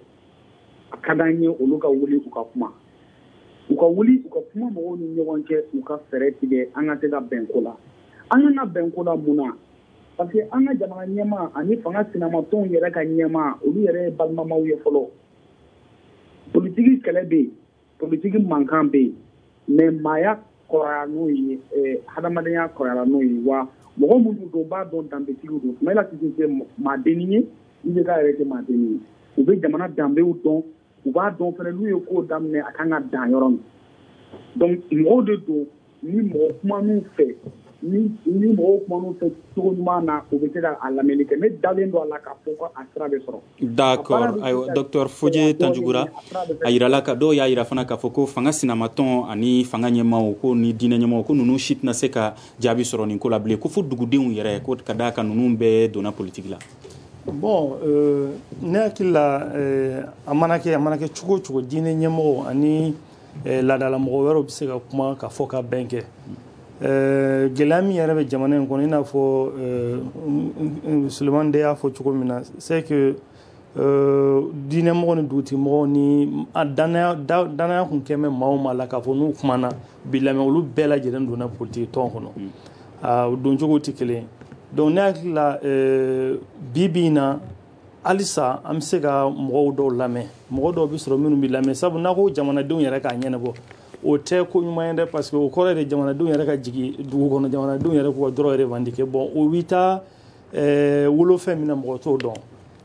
a ka d'an ye olu ka wuli u ka kuma, u ka wuli u ka kuma mɔgɔw ni ɲɔgɔn cɛ, u ka fɛɛrɛ tigɛ an ka se ka bɛn ko la. An ka bɛn ko la mun na? Parce que an ka jamana ɲɛmaa ani fanga sinamatɔnw yɛrɛ ka ɲɛmaa, olu yɛrɛ ye balimamaw ye fɔlɔ. Politiki kɛlɛ bɛ yen, politiki mankan bɛ yen, mais maaya kɔrɔya n'o ye, hadamadenya kɔrɔyara n'o ye. Wa mɔgɔ minnu don, b'a dɔn danbetigiw don. Soumaïla Cissé tɛ maadennin ye, IBK yɛrɛ tɛ maadennin ye. U bɛ jamana danbew dɔn, u b'a dɔn fɛnɛ n'u ye ko daminɛ, a kan ka dan yɔrɔ min. Donc mɔgɔw de don ni mɔgɔ kuman'u fɛ. Ni mɔgɔw kuman'u fɛ cogo ɲuman na, u bɛ se ka a lamɛnni kɛ. Ne dalen don a la k'a fɔ ko a sira bɛ sɔrɔ. D'accord. Ayiwa, docteur Fodje Tanjugura, a yirala ka dɔw y'a yira fana k'a fɔ ko fanga sinamatɔn ani fanga ɲɛmaaw ko ni diinɛ ɲɛmaaw ko ninnu si tɛna se ka jaabi sɔrɔ nin ko la bilen, ko fo dugudenw yɛrɛ, ko ka d'a kan ninnu bɛɛ donna politique la. Bon, ne hakili la, a mana kɛ cogo o cogo, diinɛ ɲɛmɔgɔw ani laadalamɔgɔ wɛrɛw bɛ se ka kuma ka fɔ ka bɛn kɛ. Gɛlɛya min yɛrɛ bɛ jamana in kɔnɔ, i n'a fɔ Sulemani de y'a fɔ cogo min na, c'est que diinɛmɔgɔ ni dugutigimɔgɔw ni danaya kun kɛ bɛ maa o maa la k'a fɔ n'u kumana bi lamɛn, olu bɛɛ lajɛlen donna politique tɔn kɔnɔ, o doncogo tɛ kelen ye. Donc ne hakili la, bi bi in na, halisa an bɛ se ka mɔgɔw dɔw lamɛn, mɔgɔ dɔw bɛ sɔrɔ minnu bɛ lamɛn, sabu n'a ko jamanadenw yɛrɛ k'a ɲɛnabɔ, o tɛ ko ɲuman ye dɛ, parce que o kɔrɔ de jamanadenw yɛrɛ ka jigin dugu kɔnɔ, jamanadenw yɛrɛ k'u ka droit revendiquer. Bon, o bɛ taa wolofɛn min na, mɔgɔ t'o dɔn.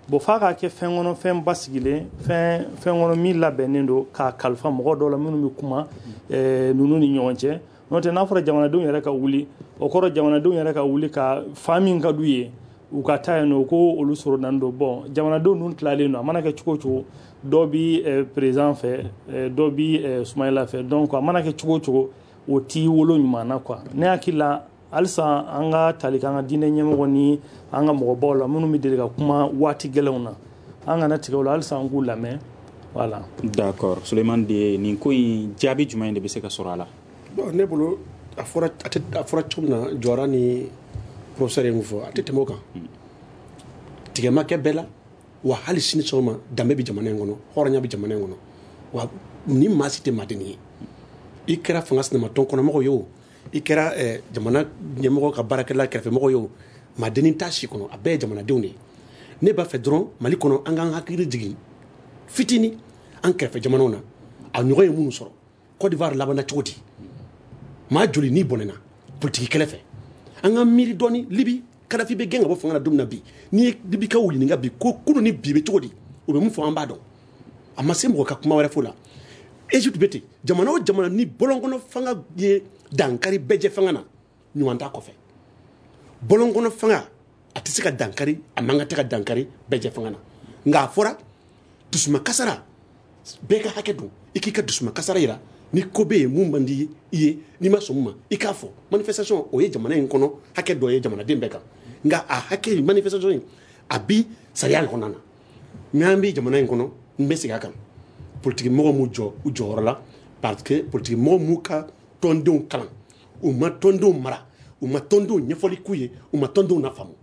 Bon, f'a k'a kɛ fɛn kɔnɔ, fɛn basigilen, fɛn kɔnɔ min labɛnnen don k'a kalifa mɔgɔ dɔw la minnu bɛ kuma ninnu ni ɲɔgɔn cɛ. N'o tɛ, n'a fɔra jamanadenw yɛrɛ ka wuli, o kɔrɔ jamanadenw yɛrɛ ka wuli ka fa min ka d'u ye u ka taa yen nɔ, ko olu sɔrɔ nan don. Bon, jamanadenw ninnu tilalen don, a mana kɛ cogo o cogo, dɔ bi président fɛ, dɔ bi Sumayila fɛ. Donc a mana kɛ cogo o cogo, o t'i wolo ɲuman na quoi. Ne hakili la, halisa an ka tali k'an ka diinɛ ɲɛmɔgɔ ni an ka mɔgɔbaw la minnu bɛ deli ka kuma waati gɛlɛnw na, an kana tigɛ o la, halisa an k'u lamɛn. Voilà. D'accord. Sulemani de, nin ko in jaabi jumɛn de bɛ se ka sɔrɔ a la? Bon, ne bolo, a fɔra cogo min na, Jɔra ni professeur ye mun fɔ, a tɛ tɛmɛ o kan. Tigɛ ma kɛ bɛɛ la, wa hali sini sɔgɔma danbe bɛ jamana in kɔnɔ, hɔrɔnya bɛ jamana in kɔnɔ, wa ni maa si tɛ maadenni ye. I kɛra fanga sinamatɔn kɔnɔmɔgɔ ye o, i kɛra jamana ɲɛmɔgɔ ka baarakɛla kɛrɛfɛmɔgɔ ye o, maadenni t'a si kɔnɔ, a bɛɛ ye jamanadenw de ye. Ne b'a fɛ dɔrɔn Mali kɔnɔ, an k'an hakili jigin fitinin an kɛrɛfɛ jamanaw na, a ɲɔgɔn ye minnu sɔrɔ. Côte d'Ivoire labanna cogo di? Maa joli n'i bɔnɛna politiki kɛlɛ fɛ? An ka miiri dɔɔni. Libi, Kadafi bɛ gɛn ka bɔ fanga la don min na bi, n'i ye Libikaw ɲininka bi ko kunun ni bi bɛ cogo di, u bɛ mun fɔ, an b'a dɔn. A ma se mɔgɔ ka kuma wɛrɛ fo la. Egypte bɛ ten. Jamana o jamana ni bɔlɔnkɔnɔ fanga ye dankari bɛɛjɛ fanga na, ɲuman t'a kɔfɛ. Bɔlɔnkɔnɔ fanga a tɛ se ka dankari, a man kan tɛ ka dankari bɛɛjɛ fanga na. Nka a fɔra dusuma kasara, bɛɛ ka hakɛ don, i k'i ka dusuma kasara yira. Ni ko bɛ yen mun man di i ye, n'i ma sɔn mun ma, i k'a fɔ. Manifestation, o ye jamana in kɔnɔ hakɛ dɔ ye jamanaden bɛɛ kan. Nka a hakɛ manifestation in, a bi sariya kɔnɔna na. Mais an bɛ jamana in kɔnɔ, n bɛ segin a kan, politiki mɔgɔ m'u jɔ u jɔyɔrɔ la, parce que politiki mɔgɔ m'u ka tɔndenw kalan, u ma tɔndenw mara, u ma tɔndenw ɲɛfɔli k'u ye, u ma tɔndenw lafaamu.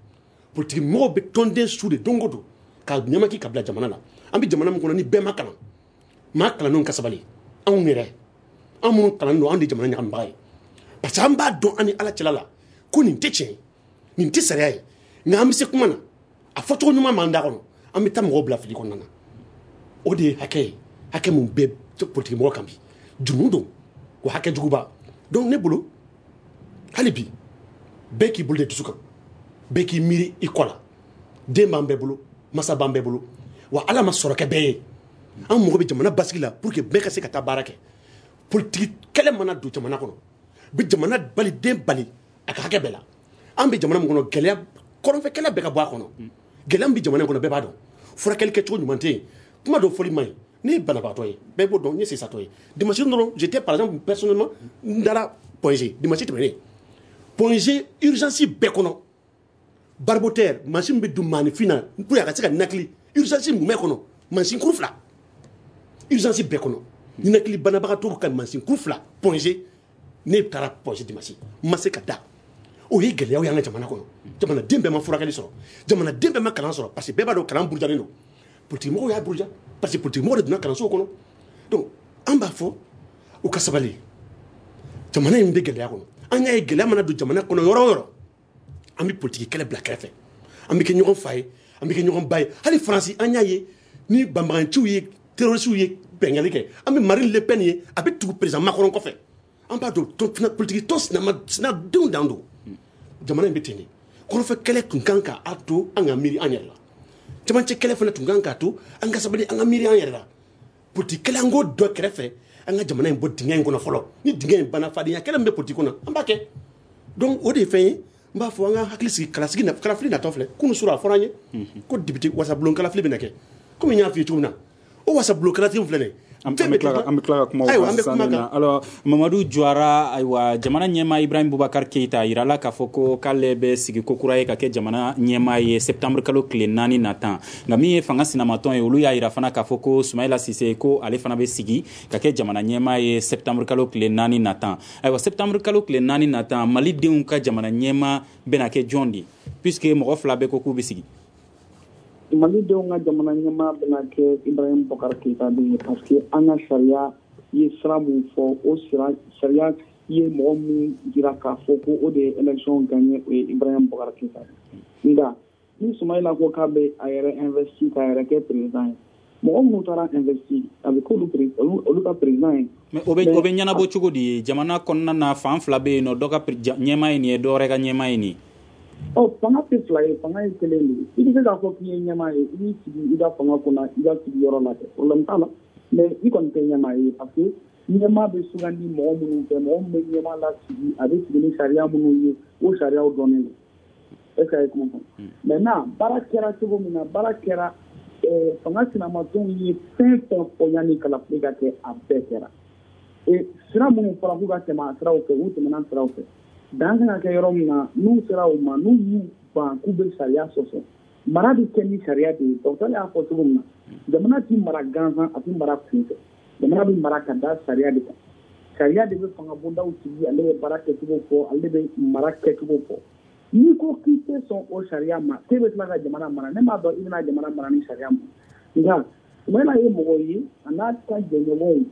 Politiki mɔgɔw bɛ tɔnden su de don o don ka ɲɛmaki ka bila jamana la. An bɛ jamana min kɔnɔ ni bɛɛ ma kalan, maa kalannenw ka sabali, anw yɛrɛ, an minnu kalan don, anw de jamana ɲagamibaga ye, parce que an b'a dɔn an ni Ala cɛla la ko nin tɛ tiɲɛ, nin tɛ sariya ye. Nka an bɛ se kuma na, a fɔcogo ɲuman b'an da kɔnɔ, an bɛ taa mɔgɔw bila fili kɔnɔna na. O de ye hakɛ ye, hakɛ mun bɛ politiki mɔgɔ kan bi, jurumu don, o hakɛ juguba. Donc ne bolo, hali bi bɛɛ k'i bolo de dusu kan, bɛɛ k'i miiri i kɔ la. Den b'an bɛɛ bolo, masa b'an bɛɛ bolo, wa Ala ma sɔrɔ kɛ bɛɛ ye. An mago bɛ jamana basigi la pour que bɛɛ ka se ka taa baara kɛ. Politiki kɛlɛ mana don jamana kɔnɔ, bɛ jamana bali, den bali a ka hakɛ bɛɛ la. An bɛ jamana min kɔnɔ, gɛlɛya kɔrɔnfɛ kɛlɛ bɛɛ ka bɔ a kɔnɔ. Gɛlɛya min bɛ jamana in kɔnɔ, bɛɛ b'a dɔn. Furakɛli kɛcogo ɲuman tɛ yen, kuma dɔw fɔli man ɲi. Ne ye banabagatɔ ye, bɛɛ b'o dɔn, n ye sesatɔ ye. Dimanche dɔrɔn, j'étais par exemple personnellement, n dara Point G dimanche tɛmɛnen. Point G urgence bɛɛ kɔnɔ, barboteur mansin bɛ don maaninfin na pour a ka se ka ninakili, urgence mumɛ kɔnɔ mansin kuru fila, urgence bɛɛ kɔnɔ ninakili banabagatɔw ka mansin kuru fila. Point G, ne taara Point G dimanche, n ma se ka da. O ye gɛlɛyaw y'an ka jamana kɔnɔ. Jamanaden bɛɛ ma furakɛli sɔrɔ, jamanaden bɛɛ ma kalan sɔrɔ, parce que bɛɛ b'a dɔn kalan burujalen don. Politiki mɔgɔw y'a buruja, parce que politiki mɔgɔw de donna kalanso kɔnɔ. Donc an b'a fɔ u ka sabali, jamana in bɛ gɛlɛya kɔnɔ. An y'a ye gɛlɛya mana don jamana kɔnɔ yɔrɔ o yɔrɔ, an bɛ politiki kɛlɛ bila kɛrɛfɛ, an bɛ kɛ ɲɔgɔn fa ye, an bɛ kɛ ɲɔgɔn ba ye. Hali Faransi, an y'a ye ni banbaganciw ye, terrorisiw ye bɛngali kɛ, an bɛ Marine Le Pen ye, a bɛ tugu président Macron kɔfɛ. An b'a dɔn politiki tɔn sinadenw dan don. Jamana in bɛ ten de. Kɔrɔfɛ kɛlɛ tun kan k'a to an ka miiri an yɛrɛ la, cɛmancɛ kɛlɛ fana tun kan k'a to an ka sabali, an ka miiri an yɛrɛ la. Politiki kɛlɛ, an k'o dɔ kɛrɛfɛ, an ka jamana in bɔ dingɛ in kɔnɔ fɔlɔ. Ni dingɛ in banna, fadenya kɛlɛ min bɛ politiki kɔnɔ, an b'a kɛ. Donc o de ye fɛn ye n b'a fɔ an ka hakili sigi kalasigi na, kalafili natɔ filɛ. Kunun sura a fɔra an ye ko député wasabulon kalafili bɛna kɛ. Komi n y'a f'i ye cogo min na, o wasabulon kalafili filɛ nin ye. An bɛ tila ka kuma o kan sisan na. Alors Mamadu Juwara, ayiwa, jamana ɲɛmaa Ibrahim Boubacar Keita a yirala k'a fɔ ko k'ale bɛ sigi ko kura ye ka kɛ jamana ɲɛmaa ye septembre kalo tile 4 natan. Nka min ye fanga sinamatɔn ye, olu y'a yira fana k'a fɔ ko Sumayila Sise ko ale fana bɛ sigi ka kɛ jamana ɲɛmaa ye septembre kalo tile 4 natan. Ayiwa, septembre kalo tile 4 natan, Malidenw ka jamana ɲɛmaa bɛna kɛ jɔn de ye, puisque mɔgɔ fila bɛ ko k'u bɛ sigi? Malidenw ka jamana ɲɛmaa bɛna kɛ Ibrahim Boubacar Keita de ye, parce que an ka sariya ye sira mun fɔ, o sira sariya ye mɔgɔ mun jira k'a fɔ ko o de ye élection gagné, o ye Ibrahim Boubacar Keita ye. Nka ni Sumayila ko k'a bɛ a yɛrɛ investi k'a yɛrɛ kɛ président ye, mɔgɔ minnu taara investi, a bɛ k'olu olu ka président ye. Mais o bɛ ɲɛnabɔ cogo di ye? Jamana kɔnɔna na fan fila bɛ yen nɔ, dɔ ka ɲɛmaa ye nin ye, dɔ wɛrɛ ka ɲɛmaa ye nin ye. Ɔ, fanga tɛ fila ye, fanga ye kelen de ye. I bɛ se k'a fɔ k'i ye ɲɛmaa ye, i b'i sigi i ka fanga kunna, i ka sigiyɔrɔ la kɛ, problème t'a la. Mais i kɔni tɛ ɲɛmaa ye, parce que ɲɛmaa bɛ sugandi mɔgɔ minnu fɛ, mɔgɔ min bɛ ɲɛmaa lasigi, a bɛ sigi ni sariya minnu ye, o sariyaw dɔnnen don. Est-ce que a ye kuma faamu? Maintenant baara kɛra cogo min na, baara kɛra, fanga sinamatɔnw ye fɛn fɛn fɔ yanni kalafili ka kɛ, a bɛɛ kɛra. Et sira minnu fɔra k'u ka tɛmɛ a siraw fɛ, u tɛmɛna siraw fɛ. Dan kan ka kɛ yɔrɔ min na, n'u sera o ma, n'u y'u ban k'u bɛ sariya sɔsɔ, mara bɛ kɛ ni sariya de ye. Docteur y'a fɔ cogo min na, jamana tɛ mara gansan, a tɛ mara kunfɛ. Jamana bɛ mara ka da sariya de kan. Sariya de bɛ fanga bondaw sigi, ale bɛ baara kɛcogo fɔ, ale bɛ mara kɛcogo fɔ. N'i ko k'i tɛ sɔn o sariya ma, k'e bɛ tila ka jamana mara, ne m'a dɔn i bɛna jamana mara ni sariya ma. Nka Sumayila ye mɔgɔ ye, a n'a ka jɛɲɔgɔnw,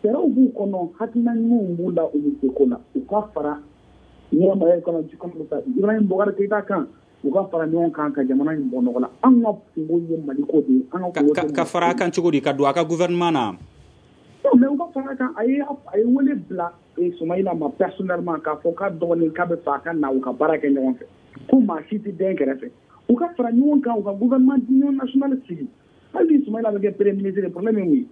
fɛɛrɛw b'u kɔnɔ, hakilina ɲumanw b'u la, u bɛ se ko la. U ka fara ɲɛmaa kɔnɔ Ibrahim Boubacar Keita kan, u ka fara ɲɔgɔn kan ka jamana in bɔ nɔgɔ la. An ka kungo ye Mali ko de ye. An ka ka fara a kan cogo di, ka don a ka gouvernement na? Non, mais u ka fara a kan. A ye wele bila Sumayila ma personnellement k'a fɔ k'a dɔgɔnin k'a bɛ fɛ a ka na u ka baara kɛ ɲɔgɔn fɛ, ko maa si tɛ den kɛrɛfɛ. U ka fara ɲɔgɔn kan, u ka gouvernement d'union nationale sigi. Hali ni Sumayila bɛ kɛ premier ministre, problème ye mun ye?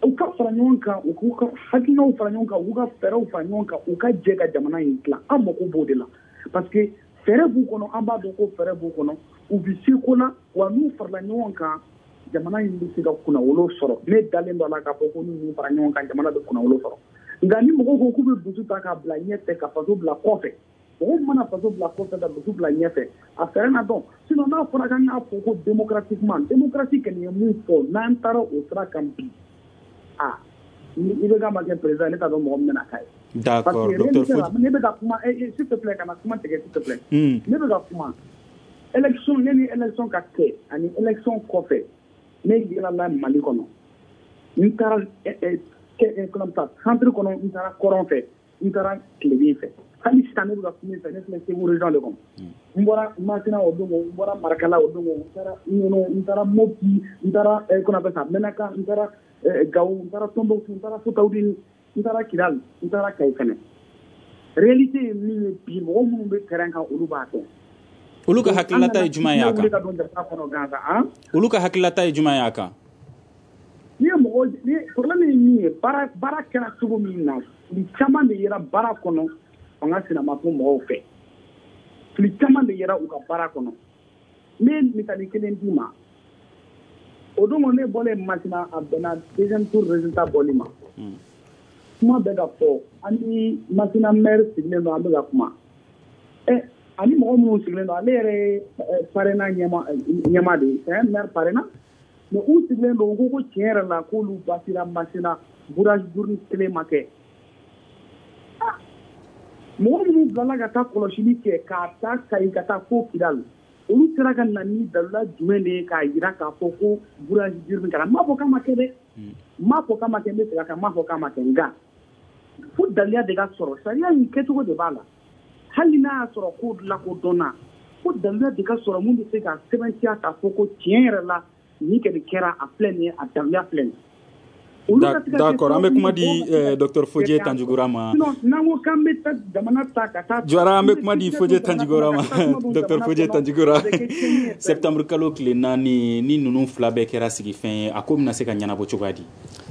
U ka fara ɲɔgɔn kan, u k'u ka hakilinaw fara ɲɔgɔn kan, u k'u ka fɛɛrɛw fara ɲɔgɔn kan, u ka jɛ ka jamana in dilan. An mako b'o de la, parce que fɛɛrɛ b'u kɔnɔ, an b'a dɔn ko fɛɛrɛ b'u kɔnɔ, u bɛ se ko la, wa n'u farala ɲɔgɔn kan, jamana in bɛ se ka kunnawolo sɔrɔ. Ne dalen don a la k'a fɔ ko n'u fara ɲɔgɔn kan, jamana bɛ kunnawolo sɔrɔ. Nka ni mɔgɔw ko k'u bɛ dusu ta k'a bila ɲɛfɛ, ka faso bila kɔfɛ, mɔgɔw mana faso bila kɔfɛ ka dusu bila ɲɛfɛ, a fɛɛrɛ na dɔn. Sinon n'a fɔra k'an k'a fɔ ko démocratiquement, démocratie kɔni ye mun fɔ, n'an taara o sira kan bi, ah, ni IBK ma kɛ président, ne t'a dɔn mɔgɔ min bɛna k'a ye. D'accord, docteur Fodi. Ne bɛ ka kuma, s'il te plaît, kana kuma tigɛ, s'il te plaît. Ne bɛ ka kuma élection, ne ni élection ka kɛ ani élection kɔfɛ, ne yɛlɛla Mali kɔnɔ, n taara centre kɔnɔ, n taara kɔrɔn fɛ, n taara tilebin fɛ. Hali sisan ne bɛ ka kuma fɛ, ne filɛ Segu région de kɔnɔ. N bɔra Masina o don, n bɔra Marakala o don, n taara Ɲɔnɔ, n taara Mopti, n taara comment Menaka, n taara Gawo, n taara Tombouctou, n taara Fotawudini, n taara Kidal, n taara Kayi fɛnɛ. Réalité ye min ye bi, mɔgɔ minnu bɛ terrain kan, olu b'a dɔn. Olu ka hakilinata ye jumɛn ye a kan? Olu ka hakilinata ye jumɛn ye a kan? Ni ye mɔgɔ ni problème ye min ye, baara kɛra cogo min na, fili caman de yera baara kɔnɔ fanga sinamatɔn mɔgɔw fɛ. Fili caman de yera u ka baara kɔnɔ. Ne ye misali kelen d'i ma. O don ne bɔlen Masina, a bɛnna deuxième tour résultat bɔli ma. Kuma bɛ ka fɔ, an ni Masina maire sigilen don, an bɛ ka kuma. Ani mɔgɔ minnu sigilen don, ale yɛrɛ ye parrainage ɲɛmaa de ye, c'est un maire parrainage. Mais u sigilen don, u ko ko tiɲɛ yɛrɛ la k'olu basira Masina, bourrage d'urne kelen ma kɛ. Mɔgɔ minnu bilala ka taa kɔlɔsili kɛ, k'a taa Kayi ka taa fo Kidal, olu sera ka na ni dalila jumɛn de ye k'a jira k'a fɔ ko bourrage d'urne kɛra? N m'a fɔ k'a ma kɛ dɛ, n m'a fɔ k'a ma kɛ, n bɛ segin a kan, n m'a fɔ k'a ma kɛ, nka fo daliya de ka sɔrɔ, sariya in kɛcogo de b'a la. Hali n'a y'a sɔrɔ ko lakodɔnna, fo daliya de ka sɔrɔ mun bɛ se ka sɛbɛntiya k'a fɔ ko tiɲɛ yɛrɛ la nin kɛra, a filɛ nin ye, a daliya filɛ nin ye. D'accord, an bɛ kuma di Dr Fodje Tanjugora ma. Sinon n'an ko k'an bɛ taa jamana ta ka taa Jawara, an bɛ kuma di Fodje Tanjugora ma. Dr Fodje Tanjugora, septembre kalo tile 4 ni ninnu fila bɛɛ kɛra sigifɛn ye, a ko bɛna se ka ɲɛnabɔ cogoya di?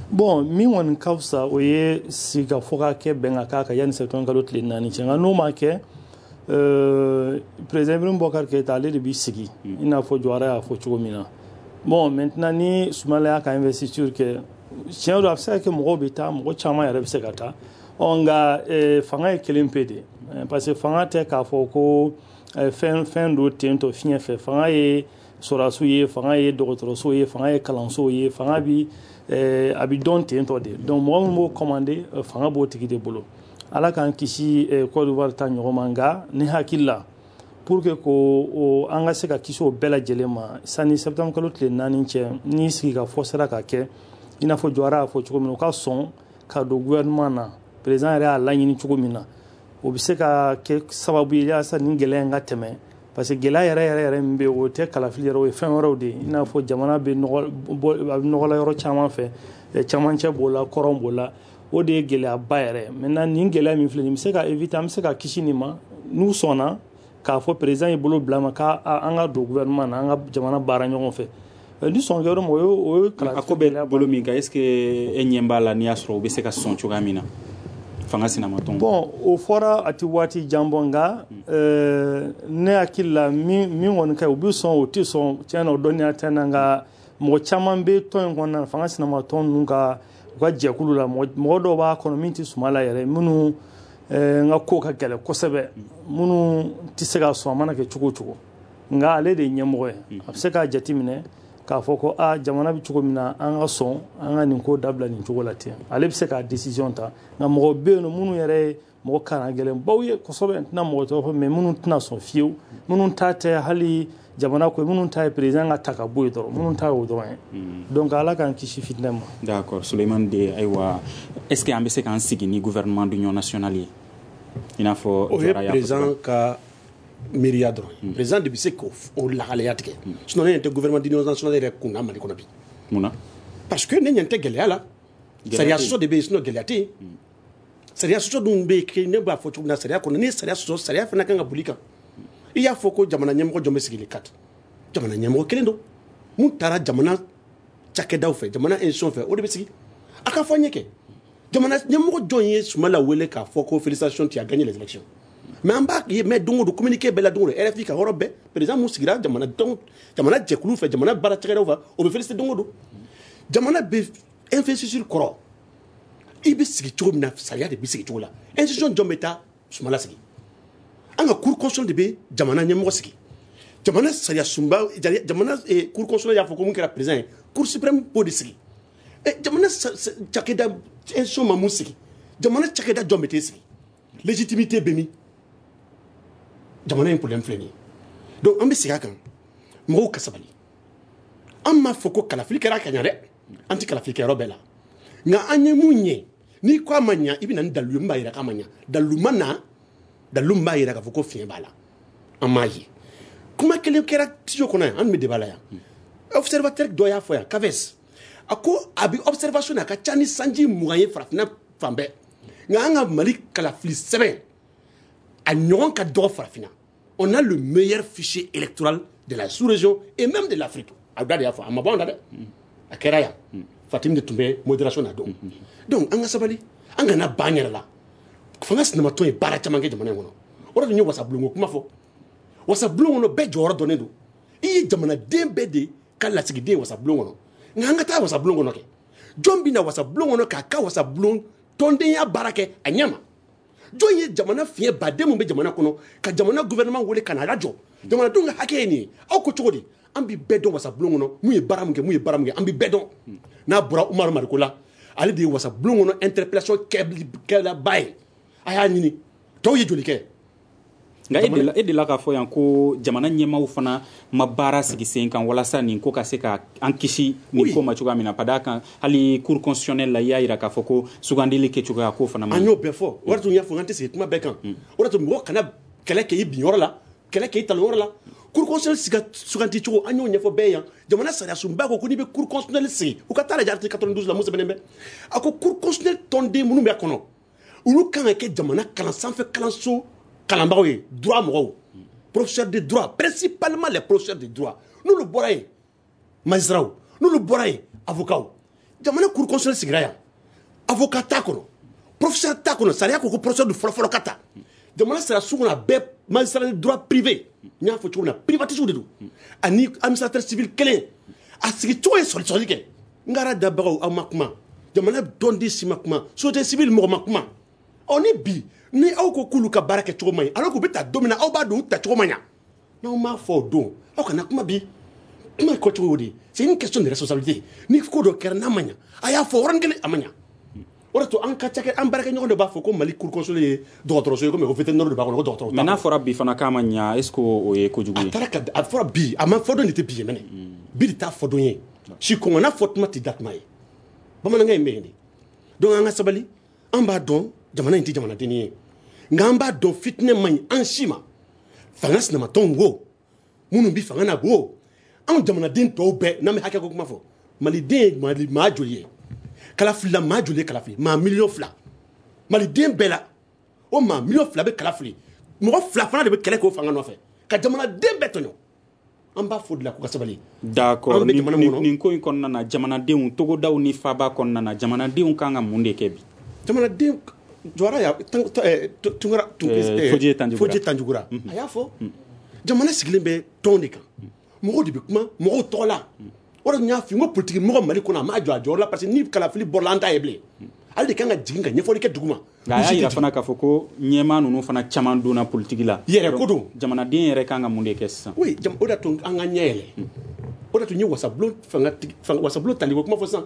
Bon, min kɔni ka fisa, o ye sigikafɔ ka kɛ, bɛn ka k'a kan yanni septembre kalo tile 4 cɛ. Nka n'o ma kɛ, président Ibrahim Boubacar Keïta, ale de b'i sigi, i n'a fɔ Jawara y'a fɔ cogo min na. Bon, maintenant ni Soumaïla y'a ka investiture kɛ, tiɲɛ don, a bɛ se ka kɛ mɔgɔw bɛ taa, mɔgɔ caman yɛrɛ bɛ se ka taa. Ɔ nka fanga ye kelen pe de, parce que fanga tɛ k'a fɔ ko fɛn don ten tɔ fiɲɛ fɛ. Fanga ye sɔrɔdasiw ye, fanga ye dɔgɔtɔrɔsow ye, fanga ye kalansow ye, fanga bi a bɛ dɔn ten tɔ de. Donc mɔgɔ min b'o commander, fanga b'o tigi de bolo. Ala k'an kisi Côte d'Ivoire ta ɲɔgɔn ma. Nka ni hakili la, pour que ko an ka se ka kisi o bɛɛ lajɛlen ma sani septembre kalo tile 4 cɛ, ni sigikafɔ sera ka kɛ, i n'a fɔ Jawara y'a fɔ cogo min na, u ka sɔn ka don gouvernement na, président yɛrɛ y'a laɲini cogo min na, o bɛ se ka kɛ sababu ye yaasa nin gɛlɛya in ka tɛmɛ. Parce que gɛlɛya yɛrɛ yɛrɛ yɛrɛ min bɛ yen, o tɛ kalafili yɛrɛ, o ye fɛn wɛrɛw de ye, i n'a fɔ jamana bɛ nɔgɔ, a bɛ nɔgɔ la yɔrɔ caman fɛ, camancɛ b'o la, kɔrɔn b'o la, o de ye gɛlɛyaba yɛrɛ. Maintenant nin gɛlɛya min filɛ nin bɛ se ka éviter, an bɛ se ka kisi nin ma n'u sɔnna k'a fɔ président ye bolo bila ma k'an ka don gouvernement na, an ka jamana baara ɲɔgɔn fɛ. Ni sɔn kɛra ma, o ye a ko bɛ bolo min kan, est ce que e ɲɛ b'a la n'i y'a sɔrɔ u bɛ se ka sɔn cogoya min na fanga sinamatɔn? Bon, o fɔra a tɛ waati jan bɔ, nka ne hakili la, min kɔni ka ɲi, u bɛ sɔn, o tɛ sɔn, tiɲɛ na o dɔnniya tɛ n na. Nka mɔgɔ caman bɛ tɔn in kɔnɔna na, fanga sinamatɔn ninnu ka u ka jɛkulu la, mɔgɔ dɔw b'a kɔnɔ min tɛ Soumaïla yɛrɛ, minnu n ka ko ka gɛlɛn kosɛbɛ, minnu tɛ se ka sɔn a mana kɛ cogo o cogo. Nka ale de ye ɲɛmɔgɔ ye, a bɛ se k'a jateminɛ k'a fɔ ko a jamana bɛ cogo min na, an ka sɔn an ka nin ko dabila nin cogo la ten. Ale bɛ se k'a décision ta. Nka mɔgɔ bɛ yen nɔ minnu yɛrɛ ye mɔgɔ kalan gɛlɛnbaw ye kosɛbɛ, n tɛna mɔgɔ tɔgɔ fɔ, mais minnu tɛna sɔn fiyewu, minnu ta tɛ hali jamana ko, minnu ta ye président ka ta ka bɔ yen dɔrɔn, minnu ta y'o dɔrɔn ye. Donc ala k'an kisi fitinɛ ma. D'accord, Souleymane De, ayiwa, est ce que an bɛ se k'an sigi ni gouvernement d'union nationale ye, i n'a fɔ o ye président ka miiriya dɔrɔn? Président de bɛ se k'o lahalaya tigɛ. Sinon ne ɲɛ tɛ gouvernement d'union nationale yɛrɛ kun na Mali kɔnɔ bi. Mun na? Parce que ne ɲɛ tɛ gɛlɛya la. Sariya sɔsɔ de bɛ yen, sinon gɛlɛya tɛ yen. Sariya sɔsɔ dun bɛ yen, ne b'a fɔ cogo min na, sariya kɔnɔ, n'i ye sariya sɔsɔ, sariya fana kan ka boli kan. I y'a fɔ ko jamana ɲɛmɔgɔ jɔn bɛ sigi le 4? Jamana ɲɛmɔgɔ kelen don mun taara jamana cakɛdaw fɛ, jamana institution fɛ, o de bɛ sigi. A ka fɔ an ɲɛ kɛ, jamana ɲɛmɔgɔ jɔn ye Soumaïla wele k'a fɔ ko félicitations, tu as gagné les élections? Mais an b'a ye, mais don o don communiqué bɛɛ la, don o don RFI ka yɔrɔ bɛɛ, président mun sigira jamana dɔn, jamana jɛkulu fɛ, jamana baara cakɛdaw fɛ, o bɛ félicité don o don. Jamana bɛ investiture kɔrɔ, i bɛ sigi cogo min na, sariya de bɛ sigi cogo la. Institution jɔn bɛ taa Soumaïla sigi? An ka cour constitutionnelle de bɛ jamana ɲɛmɔgɔ sigi. Jamana sariya sunba, jamana cour constitutionnelle y'a fɔ ko mun kɛra président ye, cour suprême b'o de sigi. Jamana cakɛda institution ma mun sigi, jamana cakɛda jɔn bɛ t'e sigi? Légitimité bɛ min? Jamana in problème filɛ nin ye. Donc an bɛ segin a kan, mɔgɔw ka sabali. An m'a fɔ ko kalafili kɛra ka ɲa dɛ, an tɛ kalafili kɛ yɔrɔ bɛɛ la. Nka an ye mun ɲɛ, n'i ko a ma ɲa, i bɛ na ni dalilu ye min b'a jira k'a ma ɲa. Dalilu ma na, dalilu min b'a jira k'a fɔ ko fiɲɛ b'a la, an m'a ye. Kuma kelen kɛra studio kɔnɔ yan, an tun bɛ débat la yan, observateur dɔ y'a fɔ yan, CAVES, a ko a bɛ observation na, a ka ca ni sanji 20 ye farafinna fan bɛɛ. Nka an ka Mali kalafili sɛbɛn, a ɲɔgɔn ka dɔgɔ farafinna. On a le meilleur fichier électoral de la sous-région et même de l'Afrique. A da de y'a fɔ, a ma bɔ an da dɛ, a kɛra yan. Fatim de tun bɛ modération na don. Donc an ka sabali, an kana ban yɛrɛ la. Fanga sinamatɔn ye baara caman kɛ jamana in kɔnɔ. O de tun ye wasabulon ko kuma fɔ. Wasabulon kɔnɔ, bɛɛ jɔyɔrɔ dɔnnen don. I ye jamanaden bɛɛ de ka lasigiden wasabulon kɔnɔ. Nka an ka taa wasabulon kɔnɔ kɛ, jɔn bɛ na wasabulon kɔnɔ k'a ka wasabulon tɔndenya baara kɛ a ɲɛ ma? Jɔn ye jamana fiɲɛ baden mun bɛ jamana kɔnɔ ka jamana gouvernement wele ka na lajɔ? Jamanadenw ka hakɛ ye nin ye. Aw ko cogo di? An bɛ bɛɛ dɔn wasabulon kɔnɔ, mun ye baara mun kɛ, mun ye baara mun kɛ, an bɛ bɛɛ dɔn. N'a bɔra Umaru Mariko la, ale de ye wasabulon kɔnɔ interpellation kɛlaba ye. A y'a ɲini tɔw ye joli kɛ. Nka e delila k'a fɔ yan ko jamana ɲɛmaaw fana ma baara sigi sen kan walasa nin ko ka se ka an kisi nin ko ma cogoya min na. Ka d'a kan, hali cour constitutionnelle la, i y'a jira k'a fɔ ko sugandili kɛcogoya ko fana ma. An y'o bɛɛ fɔ. O de tun y'a fɔ an tɛ sigi kuma bɛɛ kan. O de tun mɔgɔ kana kɛlɛ kɛ i bin yɔrɔ la, kɛlɛ kɛ i talon yɔrɔ la. Cour constitutionnelle suganti cogo an y'o ɲɛfɔ bɛɛ yan. Jamana sariya sunba ko n'i bɛ cour constitutionnelle sigi, u ka taa lajɛ article 92 la, mun sɛbɛnnen bɛ? A ko cour constitutionnelle tɔnden minnu bɛ kɔnɔ, olu kan ka kɛ jamana kalan sanfɛ kalanso kalanbagaw ye, droit mɔgɔw, professeur de droit, principalement les professeurs de droit. N'olu bɔra yen, magistrats, n'olu bɔra yen, avocats. Jamana cour constitutionnelle sigira yan, avocat t'a kɔnɔ, professeur t'a kɔnɔ. Sariya ko ko professeur de fɔlɔ-fɔlɔ ka ta. Jamana sariya sun kɔnɔ, a bɛɛ magistrat de droit privé, n y'a fɔ cogo min na, privatiste de don, ani administrateur civil kelen. A sigi cogo ye sɔli-sɔli kɛ. N k'ara dabagaw, aw ma kuma, jamana dɔnden si ma kuma, société civile mɔgɔ ma kuma. Ɔ ni bi ni aw ko k'olu ka baara kɛ cogo man ɲi, alors k'u bɛ ta don min na, aw b'a dɔn u ta cogo man ɲa. N'aw m'a fɔ o don, aw kana kuma bi. Kuma kɔcogo y'o de ye. C'est une question de responsabilité. Ni ko dɔ kɛra n'a man ɲa, a y'a fɔ yɔrɔnin kelen, a man ɲa. O de to an ka cakɛ, an baarakɛɲɔgɔn dɔ b'a fɔ ko Mali cour constitutionnelle ye dɔgɔtɔrɔso ye, komi ko vétérinaire de b'a kɔnɔ, ko dɔgɔtɔrɔ. Mais n'a fɔra bi fana k'a ma ɲa, est ce que o ye kojugu ye? A taara ka a fɔra bi, a ma fɔ don de tɛ bi ye mɛnɛ. Bi de t'a fɔ don ye. Si kɔngɔ n'a fɔ tuma tɛ da tuma ye. Bamanankan in bɛ yen de. Donc an ka sabali, an b'a dɔn jamana in tɛ jamanadenni ye. Nka an b'a dɔn fitinɛ man ɲi an si ma. Fanga sinamatɔnw wo, minnu bi fanga na wo, anw jamanaden tɔw bɛɛ n'an bɛ hakɛ ko kuma fɔ, maliden ye maa joli ye? Kala filila maa joli ye kala fili? Maa 2 millions. Maliden bɛɛ la, o maa 2 millions bɛ kala fili. Mɔgɔ 2 fana de bɛ kɛlɛ k'o fanga nɔfɛ ka jamanaden bɛɛ tɔɲɔ. An b'a fɔ de la k'u ka sabali. D'accord. Nin ko in kɔnɔna na, jamanadenw, togodaw ni faaba kɔnɔna na, jamanadenw kan ka mun de kɛ bi? Jamanaden Jɔra ya Tunkara, Fodje Tanjugura, a y'a fɔ jamana sigilen bɛ tɔn de kan, mɔgɔw de bɛ kuma mɔgɔw tɔgɔ la. O de y'a f'i ye, n ko politique mɔgɔ Mali kɔnɔ a m'a jɔ a jɔyɔrɔ la, parce que ni kalafili bɔra an t'a ye bilen. Ale de kan ka jigin ka ɲɛfɔli kɛ dugu ma. Nka a y'a yira fana k'a fɔ ko ɲɛmaa ninnu fana caman donna politique la. Yɛrɛ ko don. Jamanaden yɛrɛ kan ka mun de kɛ sisan? Oui, o de y'a to an ka ɲɛ yɛlɛ. O de y'a to n ye wasabulon fanga wasabulon tali ko kuma fɔ sisan.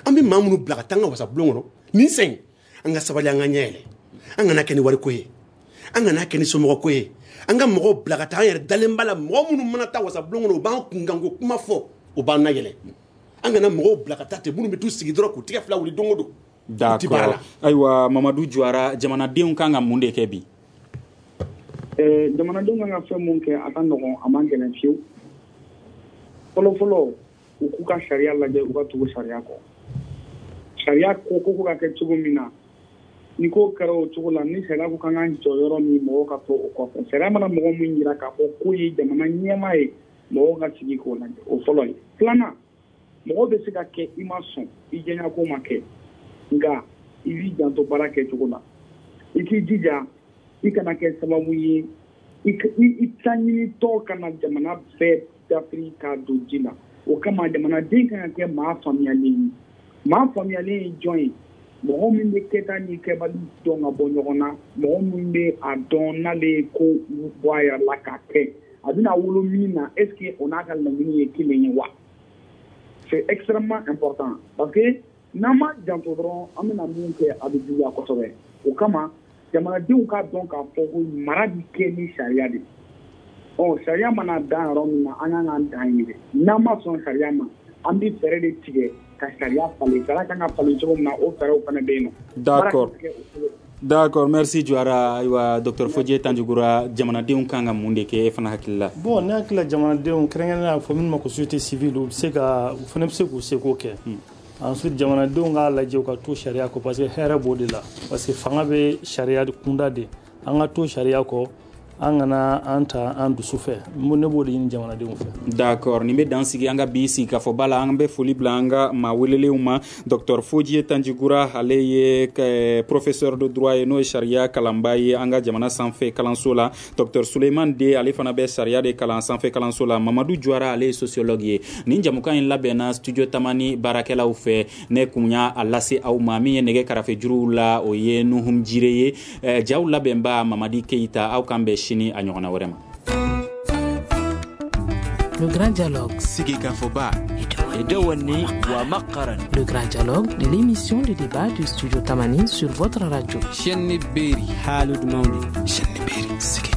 An bɛ maa minnu bila ka taa an ka wasabulon kɔnɔ nin sen, an ka sabali, an ka ɲɛ yɛlɛ. An kana kɛ ni wariko ye, an kana kɛ ni somɔgɔko ye. An ka mɔgɔw bila ka taa, an yɛrɛ dalen b'a la, mɔgɔ minnu mana taa wasabulon kɔnɔ, u b'an kunkanko kuma fɔ, u b'an nayɛlɛ. An kana mɔgɔw bila ka taa ten, minnu bɛ t'u sigi dɔrɔn k'u tigɛ fila wuli don o don. D'accord. Ayiwa Mamadu Juwara, jamanadenw kan ka mun de kɛ bi? Jamanadenw kan ka fɛn mun kɛ, a ka nɔgɔn, a man gɛlɛn fiyewu. Fɔlɔ fɔlɔ, u k'u ka sariya lajɛ, u ka tugu sariya kɔ. Sariya ko ka kɛ cogo min na, ni ko kɛra o cogo la, ni sariya ko k'an k'an jɔ yɔrɔ min, mɔgɔw ka to o kɔfɛ. Sariya mana mɔgɔ min jira k'a fɔ k'o ye jamana ɲɛmaa ye, mɔgɔw ka sigi k'o lajɛ. O fɔlɔ ye. Filanan, mɔgɔ bɛ se ka kɛ i ma sɔn, i jɛɲako ma kɛ, nka i b'i janto baara kɛcogo la. I k'i jija, i kana kɛ sababu ye i taɲinitɔ kana jamana bɛɛ dafiri k'a don ji la. O kama jamanaden kan ka kɛ maa faamuyalen ye. Maa faamuyalen ye jɔn ye? Mɔgɔ min bɛ kɛta ni kɛbali dɔn ka bɔ ɲɔgɔn na, mɔgɔ min bɛ a dɔn n'ale ye ko bɔ a yɛrɛ la k'a kɛ, a bɛna wolo min na, est ce que o n'a ka laɲini ye kelen ye wa? C'est extrêmement important, parce que n'an ma janto dɔrɔn, an bɛna min kɛ, a bɛ juguya kosɛbɛ. O kama jamanadenw k'a dɔn k'a fɔ ko mara bɛ kɛ ni sariya de ye. Ɔ sariya mana dan yɔrɔ min na, an kan k'an dan yen dɛ. N'an ma sɔn sariya ma, an bɛ fɛɛrɛ de tigɛ ka sariya falen. Sariya kan ka falen cogo min na, o fɛɛrɛw fana bɛ yen nɔ. D'accord. D'accord, merci Juwara. Ayiwa docteur Fodje Tanjugura, jamanadenw kan ka mun de kɛ e fana hakili la? Bon, ne hakili la, jamanadenw, kɛrɛnkɛrɛnnenya fɔ minnu ma ko société civile, u bɛ se ka, u fana bɛ se k'u seko kɛ. Ensuite, jamanadenw k'a lajɛ u ka to sariya kɔ, parce que hɛrɛ b'o de la, parce que fanga bɛ sariya kunda de. An ka to sariya kɔ, an kana an ta an dusu fɛ. Ne b'o de ɲini jamanadenw fɛ. D'accord, nin bɛ dan sigi an ka bi sigikafɔba la. An bɛ foli bila an ka maa welelenw ma. Docteur Fodje Tanjugura, ale ye professeur de droit ye, n'o ye sariya kalanba ye an ka jamana sanfɛ kalanso la. Docteur Souleymane De, ale fana bɛ sariya de kalan sanfɛ kalanso la. Mamadu Juwara, ale ye sociologue ye. Nin jamukan in labɛnna studio Tamani baarakɛlaw fɛ. Ne kun y'a lase aw ma. Min ye nɛgɛ karafe juruw la, o ye Nuhum Jire ye. Jaw labɛnba Mamadi Keita. Aw kan bɛn sini a ɲɔgɔnna wɛrɛ ma. Le grand dialogue. Sigikafɔba. Le grand dialogue de l'émission de débat du studio Tamani sur votre radio. Chaîne Berry. Haalud Mawni. Chaîne Berry.